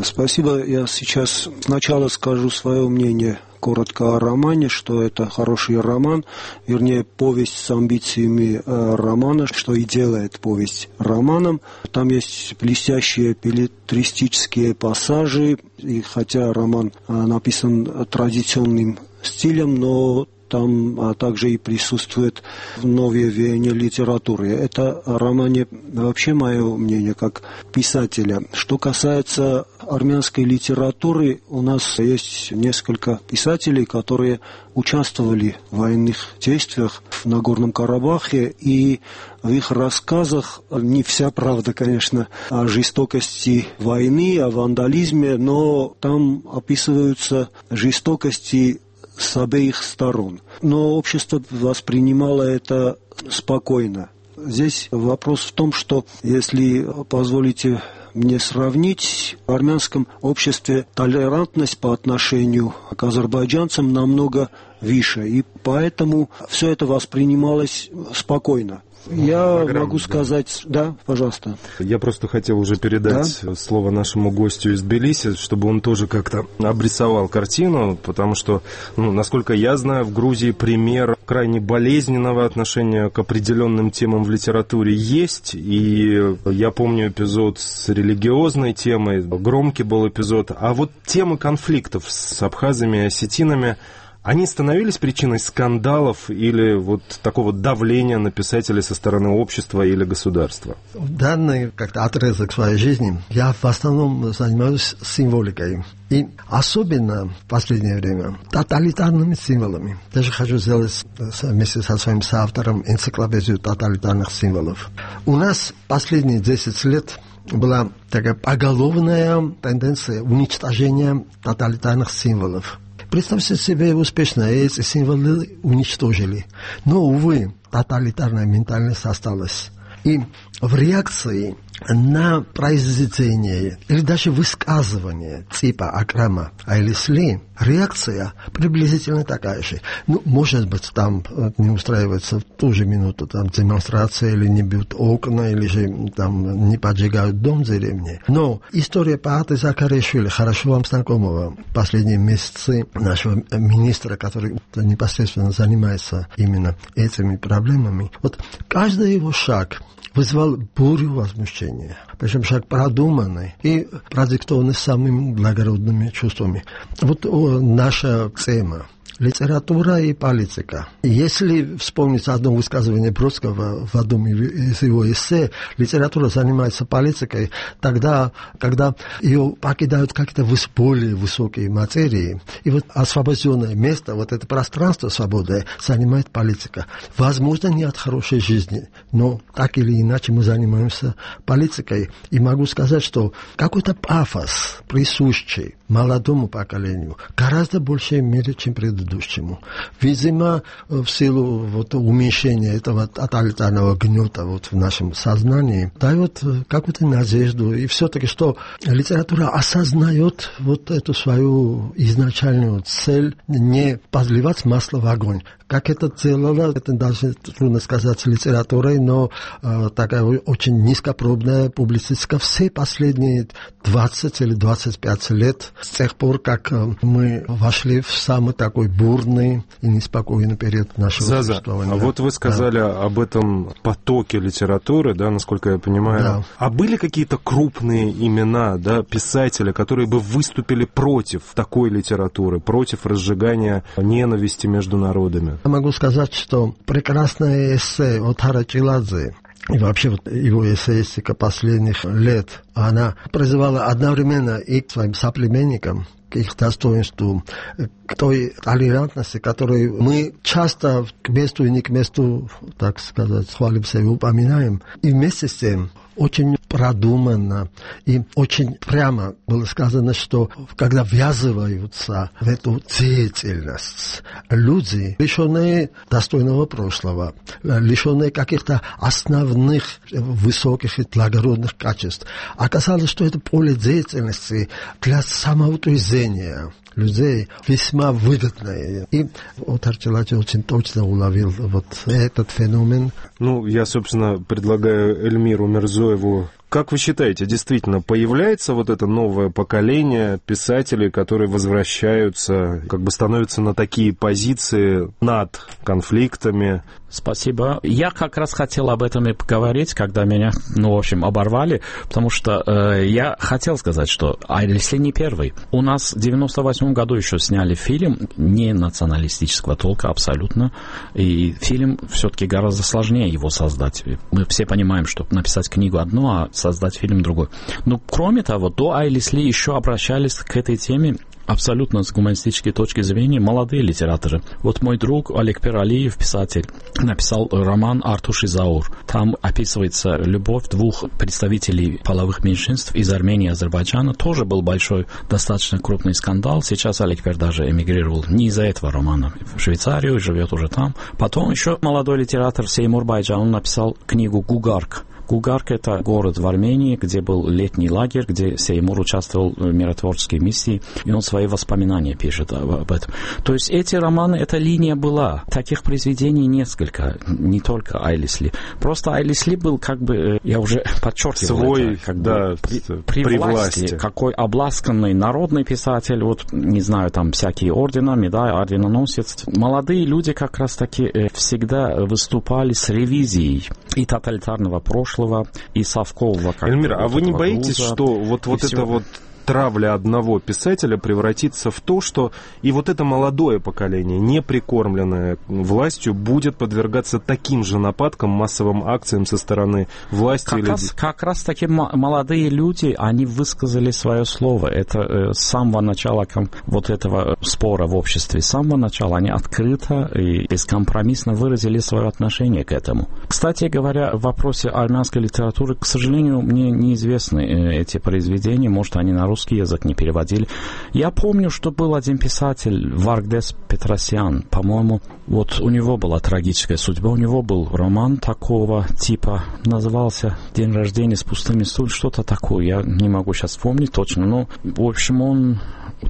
Спасибо. Я сейчас сначала скажу свое мнение коротко о романе, что это хороший роман, вернее, повесть с амбициями романа, что и делает повесть романом. Там есть блестящие беллетристические пассажи, и хотя роман написан традиционным стилем, но там также и присутствует новое веяние литературы. Это о романе вообще мое мнение как писателя. Что касается армянской литературы, у нас есть несколько писателей, которые участвовали в военных действиях в Нагорном Карабахе, и в их рассказах не вся правда, конечно, о жестокости войны, о вандализме, но там описываются жестокости с обеих сторон. Но общество воспринимало это спокойно. Здесь вопрос в том, что, если позволите мне сравнить, в армянском обществе толерантность по отношению к азербайджанцам намного выше, и поэтому все это воспринималось спокойно. Я могу сказать... Да, пожалуйста. Я просто хотел уже передать слово нашему гостю из Тбилиси, чтобы он тоже как-то обрисовал картину, потому что, насколько я знаю, в Грузии пример крайне болезненного отношения к определенным темам в литературе есть, и я помню эпизод с религиозной темой, громкий был эпизод, а вот темы конфликтов с абхазами и осетинами, они становились причиной скандалов или вот такого давления на писателей со стороны общества или государства? В данный как-то отрезок своей жизни я в основном занимаюсь символикой. И особенно в последнее время тоталитарными символами. Даже хочу сделать вместе со своим соавтором энциклопедию тоталитарных символов. У нас последние 10 лет была такая поголовная тенденция уничтожения тоталитарных символов. Представьте себе, успешно эти символы уничтожили. Но, увы, тоталитарная ментальность осталась. И в реакции на произведение или даже высказывание типа Акрама Айлислии реакция приблизительно такая же. Ну, может быть, там не устраивается в ту же минуту там демонстрация, или не бьют окна, или же там не поджигают дом в деревне. Но история Пааты Закаришвили, хорошо вам знакомого, последние месяцы нашего министра, который непосредственно занимается именно этими проблемами, вот каждый его шаг вызвал бурю возмущения. Причем шаг продуманный и продиктованный самыми благородными чувствами. Вот наша тема. Литература и политика. Если вспомнить одно высказывание Бродского в одном из его эссе, литература занимается политикой тогда, когда ее покидают какие-то более высокие материи, и вот освобожденное место, вот это пространство свободное, занимает политика. Возможно, не от хорошей жизни, но так или иначе мы занимаемся политикой. И могу сказать, что какой-то пафос, присущий молодому поколению, гораздо большей мере, чем предыдущему. Видимо, в силу вот уменьшения этого тоталитарного гнета вот в нашем сознании дает какую-то надежду. И все-таки, что литература осознает вот эту свою изначальную цель не подливать масло в огонь. Как это делала, это даже трудно сказать литературой, но такая очень низкопробная публицистика все последние 20 или 25 лет, с тех пор, как мы вошли в самый такой бурный и неспокойный период нашего существования. А вот вы сказали об этом потоке литературы, да, насколько я понимаю. Да. А были какие-то крупные имена, да, писатели, которые бы выступили против такой литературы, против разжигания ненависти между народами? Я могу сказать, что прекрасное эссе от Харачиладзе и вообще вот его эссеистика последних лет, она призывала одновременно и к своим соплеменникам, к их достоинству, к той толерантности, которую мы часто к месту и не к месту, так сказать, хвалимся и упоминаем. И вместе с тем очень продуманно и очень прямо было сказано, что когда ввязываются в эту деятельность люди, лишенные достойного прошлого, лишенные каких-то основных высоких и благородных качеств, оказалось, что это поле деятельности для самоутверждения людей весьма выгодное. И вот Арчилати очень точно уловил вот этот феномен. Ну, я, собственно, предлагаю Эльмиру Мирзоеву. Как вы считаете, действительно, появляется вот это новое поколение писателей, которые возвращаются, как бы становятся на такие позиции над конфликтами? Спасибо. Я как раз хотел об этом и поговорить, когда меня, в общем, оборвали, потому что я хотел сказать, что Айлисли не первый. У нас в 98 году еще сняли фильм не националистического толка абсолютно, и фильм все-таки гораздо сложнее его создать. Мы все понимаем, что написать книгу одно, а создать фильм другой. Но кроме того, до Айлисли еще обращались к этой теме абсолютно с гуманистической точки зрения молодые литераторы. Вот мой друг Олег Пералиев, писатель, написал роман «Артуш и Заур». Там описывается любовь двух представителей половых меньшинств из Армении и Азербайджана. Тоже был большой, достаточно крупный скандал. Сейчас Олег Пер даже эмигрировал не из-за этого романа в Швейцарию, живет уже там. Потом еще молодой литератор Сеймур Байджан, он написал книгу «Гугарк». Гугарк — это город в Армении, где был летний лагерь, где Сеймур участвовал в миротворческой миссии, и он свои воспоминания пишет об этом. То есть эти романы, эта линия была. Таких произведений несколько, не только Айлисли. Просто Айлисли был как бы, я уже подчеркивал, свой, это, как да, бы при власти. Какой обласканный народный писатель, вот, не знаю, там всякие ордена, медали, орденоносец. Молодые люди как раз-таки всегда выступали с ревизией и тоталитарного прошлого, и совкового. Эльмира, а вы не боитесь, что вот это вот травля одного писателя превратится в то, что и вот это молодое поколение, не прикормленное властью, будет подвергаться таким же нападкам, массовым акциям со стороны власти? Как раз таки молодые люди, они высказали свое слово. Это с самого начала вот этого спора в обществе, с самого начала они открыто и бескомпромиссно выразили свое отношение к этому. Кстати говоря, в вопросе армянской литературы, к сожалению, мне неизвестны эти произведения, может, они на русский язык не переводили. Я помню, что был один писатель, Варгдес Петросян, по-моему, вот у него была трагическая судьба, у него был роман такого типа, назывался «День рождения с пустыми стульями», что-то такое, я не могу сейчас вспомнить точно, но, в общем, он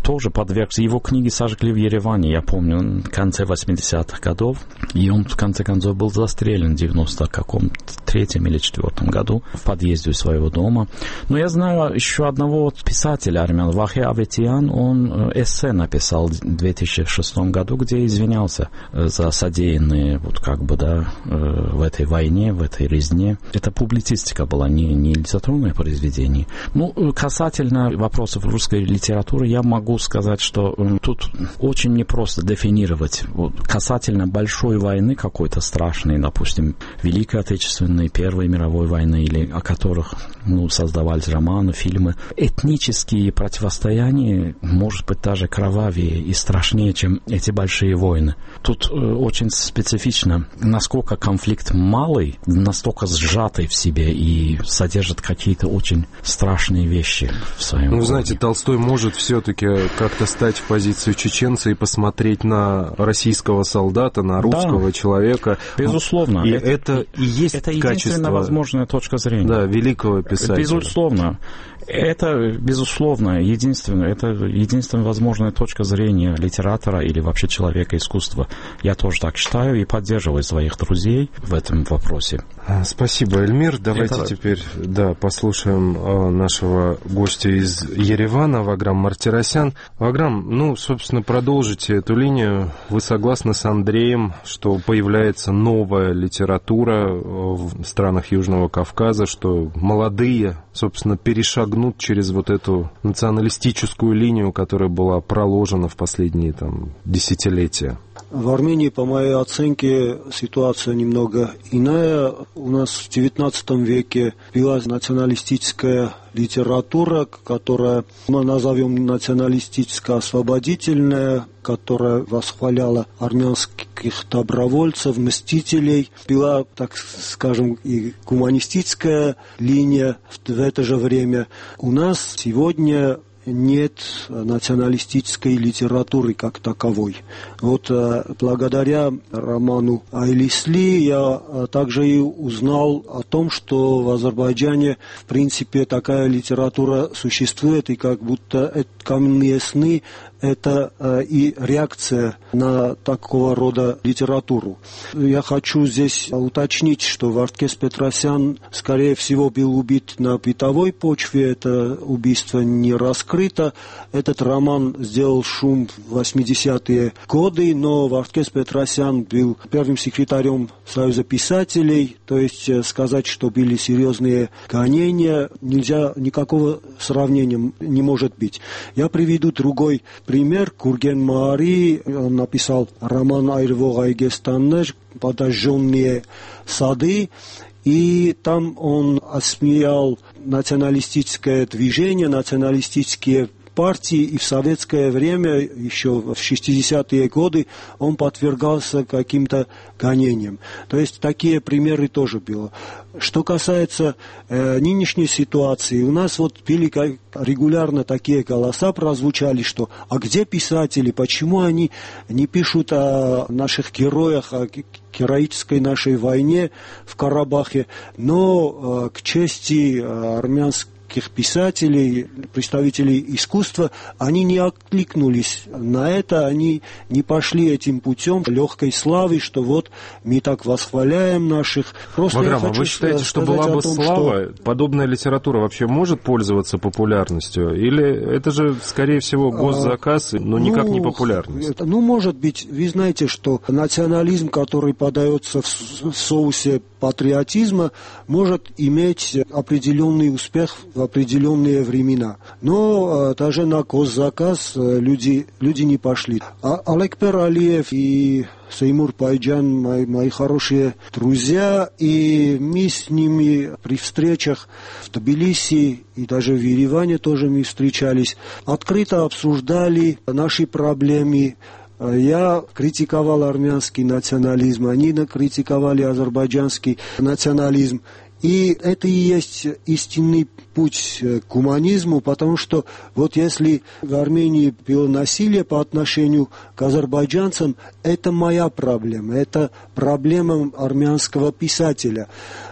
тоже подвергся. Его книги сожгли в Ереване, я помню, в конце 80-х годов, и он, в конце концов, был застрелен в 93-м или 4-м году в подъезде своего дома. Но я знаю еще одного писателя армян, Вахе Аветиян, он эссе написал в 2006 году, где извинялся за содеянные в этой войне, в этой резне. Это публицистика была, не литературное произведение. Ну, касательно вопросов русской литературы, я могу сказать, что тут очень непросто дефинировать. Касательно большой войны какой-то страшной, допустим, Великой Отечественной, Первой мировой войны, или о которых создавались романы, фильмы, этнические противостояния, может быть, даже кровавее и страшнее, чем эти большие войны. Тут очень специфично, насколько конфликт малый, настолько сжатый в себе и содержит какие-то очень страшные вещи в своем. Ну, знаете, Толстой может все-таки как-то стать в позицию чеченца и посмотреть на российского солдата, на русского человека. Безусловно. И это и есть это качество, единственная возможная точка зрения. Да, великого писателя. Безусловно. Это, безусловно, единственная возможная точка зрения литератора или вообще человека искусства. Я тоже так считаю и поддерживаю своих друзей в этом вопросе. Спасибо, Эльмир. Давайте теперь послушаем нашего гостя из Еревана, Ваграм Мартиросян. Ваграм, собственно, продолжите эту линию. Вы согласны с Андреем, что появляется новая литература в странах Южного Кавказа, что молодые, собственно, перешагнут через вот эту националистическую линию, которая была проложена в последние десятилетия? В Армении, по моей оценке, ситуация немного иная. У нас в XIX веке была националистическая литература, которая, мы назовем националистическо-освободительная, которая восхваляла армянских добровольцев, мстителей. Была, так скажем, и гуманистическая линия в это же время. У нас сегодня нет националистической литературы как таковой. Вот благодаря роману Айлисли я также и узнал о том, что в Азербайджане в принципе такая литература существует, и как будто «Каменные сны» это и реакция на такого рода литературу. Я хочу здесь уточнить, что Вардкес Петросян, скорее всего, был убит на бытовой почве. Это убийство не раскрыто. Этот роман сделал шум в 80-е годы, но Вардкес Петросян был первым секретарем Союза писателей, то есть сказать, что были серьезные гонения, нельзя, никакого сравнения не может быть. Я приведу другой пример. Гурген Маари, он написал роман «Айрвог Айгестаннер», «Подожженные сады», и там он осмеял националистическое движение, националистические партии, и в советское время, еще в 60-е годы, он подвергался каким-то гонениям. То есть такие примеры тоже было. Что касается нынешней ситуации, у нас были регулярно такие голоса прозвучали, что «а где писатели, почему они не пишут о наших героях, о героической нашей войне в Карабахе?» Но к чести армянских писателей, представителей искусства, они не откликнулись на это, они не пошли этим путем легкой славы, что вот мы так восхваляем наших. Ваграм, вы считаете, что была бы слава, подобная литература вообще может пользоваться популярностью? Или это же, скорее всего, госзаказ, но никак не популярность? Может быть. Вы знаете, что национализм, который подается в соусе патриотизма, может иметь определенный успех в в определенные времена. Но даже на госзаказ люди не пошли. Алекпер Алиев и Сеймур Пайджан, мои хорошие друзья, и мы с ними при встречах в Тбилиси и даже в Ереване тоже мы встречались, открыто обсуждали наши проблемы. Я критиковал армянский национализм, они критиковали азербайджанский национализм. И это и есть истинный путь к гуманизму, потому что вот если в Армении было насилие по отношению к азербайджанцам, это моя проблема, это проблема армянского писателя.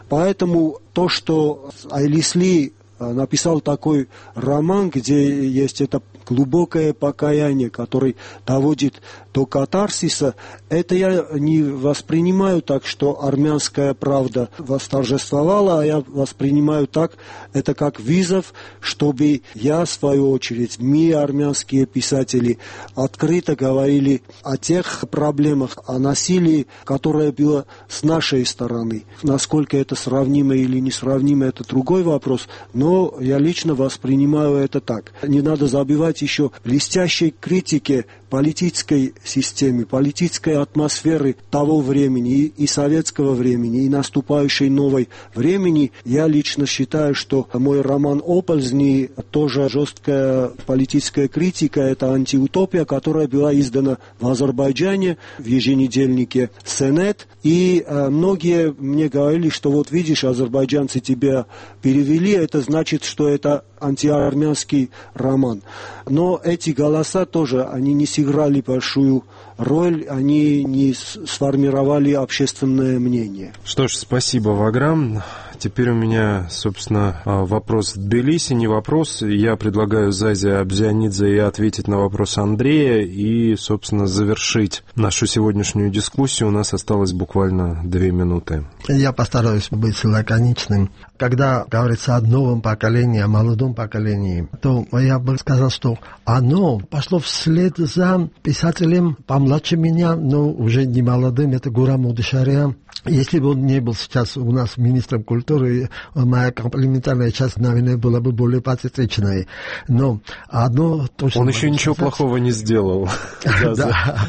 Поэтому то, что Айлисли написал такой роман, где есть это глубокое покаяние, которое доводит до катарсиса, это я не воспринимаю так, что армянская правда восторжествовала, а я воспринимаю так, это как вызов, чтобы я, в свою очередь, мы, армянские писатели, открыто говорили о тех проблемах, о насилии, которое было с нашей стороны. Насколько это сравнимо или несравнимо, это другой вопрос, но я лично воспринимаю это так. Не надо забывать еще блестящей критике политической системы, политической атмосферы того времени и советского времени, и наступающей новой времени. Я лично считаю, что мой роман «Оползни» тоже жесткая политическая критика, это антиутопия, которая была издана в Азербайджане в еженедельнике «Сенет». И многие мне говорили, что вот видишь, азербайджанцы тебя перевели, это значит, что это антиармянский роман. Но эти голоса тоже, они не сыграли большую роль, они не сформировали общественное мнение. Что ж, спасибо, Ваграм. Теперь у меня, собственно, вопрос Тбилиси, не вопрос. Я предлагаю Зазе Абзианидзе и ответить на вопрос Андрея и, собственно, завершить нашу сегодняшнюю дискуссию. У нас осталось буквально 2 минуты. Я постараюсь быть лаконичным. Когда говорится о новом поколении, о молодом поколении, то я бы сказал, что оно пошло вслед за писателем помладше меня, но уже не молодым, это Гурам Удышария. Если бы он не был сейчас у нас министром культуры, моя комплиментарная часть, наверное, была бы более патетичной. Но одно точно... Он еще ничего плохого не сделал. Да,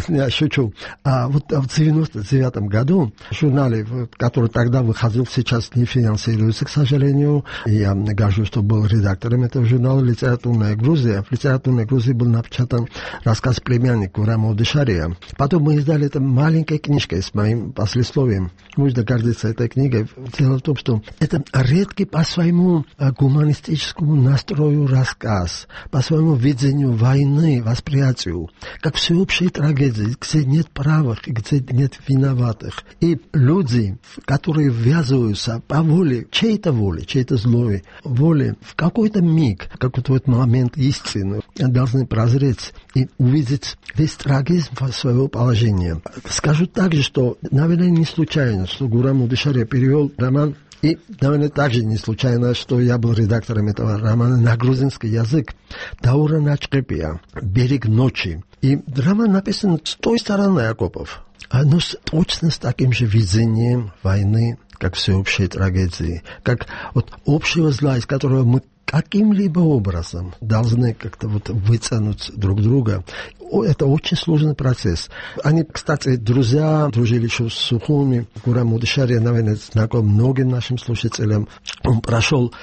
я шучу. Вот в 1999 году в журнале, который тогда выходил, сейчас не финансируется, к сожалению, я горжусь, что был редактором этого журнала «Литературная Грузия». В «Литературной Грузии» был напечатан рассказ «Племянник» Гурама Удышария. Потом мы издали это маленькой книжкой с моим послесловием. Можно гордиться этой книгой. Дело в том, что это редкий по своему гуманистическому настрою рассказ, по своему видению войны, восприятию, как всеобщей трагедии, где нет правых, где нет виноватых. И люди, которые ввязываются по воле, чьей-то злой воли, в какой-то миг, какой-то вот момент истины, должны прозреть и увидеть весь трагизм своего положения. Скажу также, что, наверное, не случайно, что Гурам Удышария перевел роман, и, наверное, также не случайно, что я был редактором этого романа на грузинский язык. Даура Начкепия, «Берег ночи». И роман написан с той стороны окопов, но точно с таким же видением войны, как всеобщей трагедии, как вот общего зла, из которого мы каким-либо образом должны как-то вот вытянуть друг друга. Это очень сложный процесс. Они, кстати, друзья, дружили еще с Сухуми. Гурам Удышария, наверное, знаком многим нашим слушателям. Он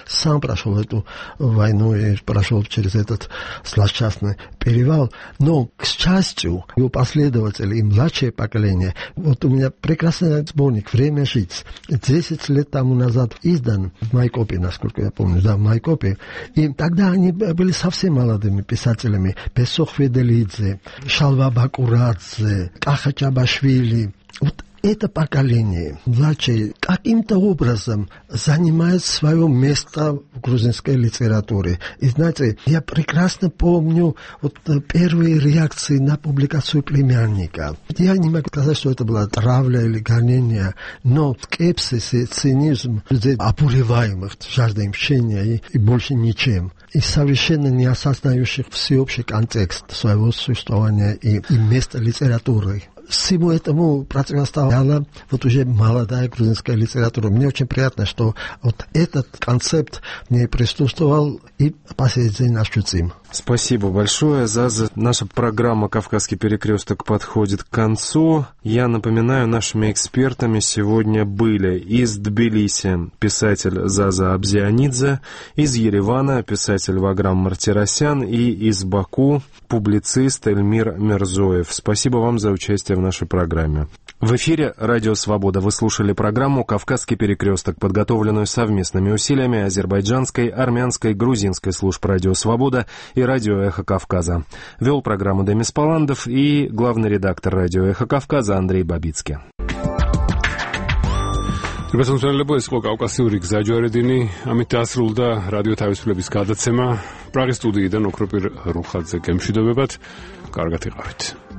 сам прошел эту войну и прошел через этот злосчастный перевал. Но, к счастью, его последователи и младшее поколение, вот у меня прекрасный сборник «Время жить». 10 лет тому назад издан в Майкопе, насколько я помню, в Майкопе. И тогда они были совсем молодыми писателями. Песох Феделидзе, Шалва Бакурадзе, Каха Чабашвили. Вот это поколение, младшее, каким-то образом занимает свое место в грузинской литературе. И знаете, я прекрасно помню вот первые реакции на публикацию «Племянника». Я не могу сказать, что это была травля или гонение, но скепсис и цинизм людей, обуреваемых жаждой мщения и больше ничем. И совершенно не осознающих всеобщий контекст своего существования и места литературы Всему этому противостояла вот уже молодая грузинская литература. Мне очень приятно, что вот этот концепт не присутствовал и по сей день ощутим. Спасибо большое, Заза. Наша программа «Кавказский перекресток» подходит к концу. Я напоминаю, нашими экспертами сегодня были из Тбилиси писатель Заза Абзианидзе, из Еревана писатель Ваграм Мартиросян и из Баку публицист Эльмир Мирзоев. Спасибо вам за участие в нашей программе. В эфире «Радио Свобода» вы слушали программу «Кавказский перекресток», подготовленную совместными усилиями азербайджанской, армянской, грузинской служб «Радио Свобода» и «Радио Эхо Кавказа». Вел программу Демис Паландов и главный редактор «Радио Эхо Кавказа» Андрей Бабицкий. Რებასამწვანელებო ეს იყო კავკასიური გზაჯვარედინი, ამით დასრულდა რადიო თავისუფლების გადაცემა. პრაღის სტუდიიდან ოქროპირ რუხაძე გემშვიდობებათ. კარგად იყავით.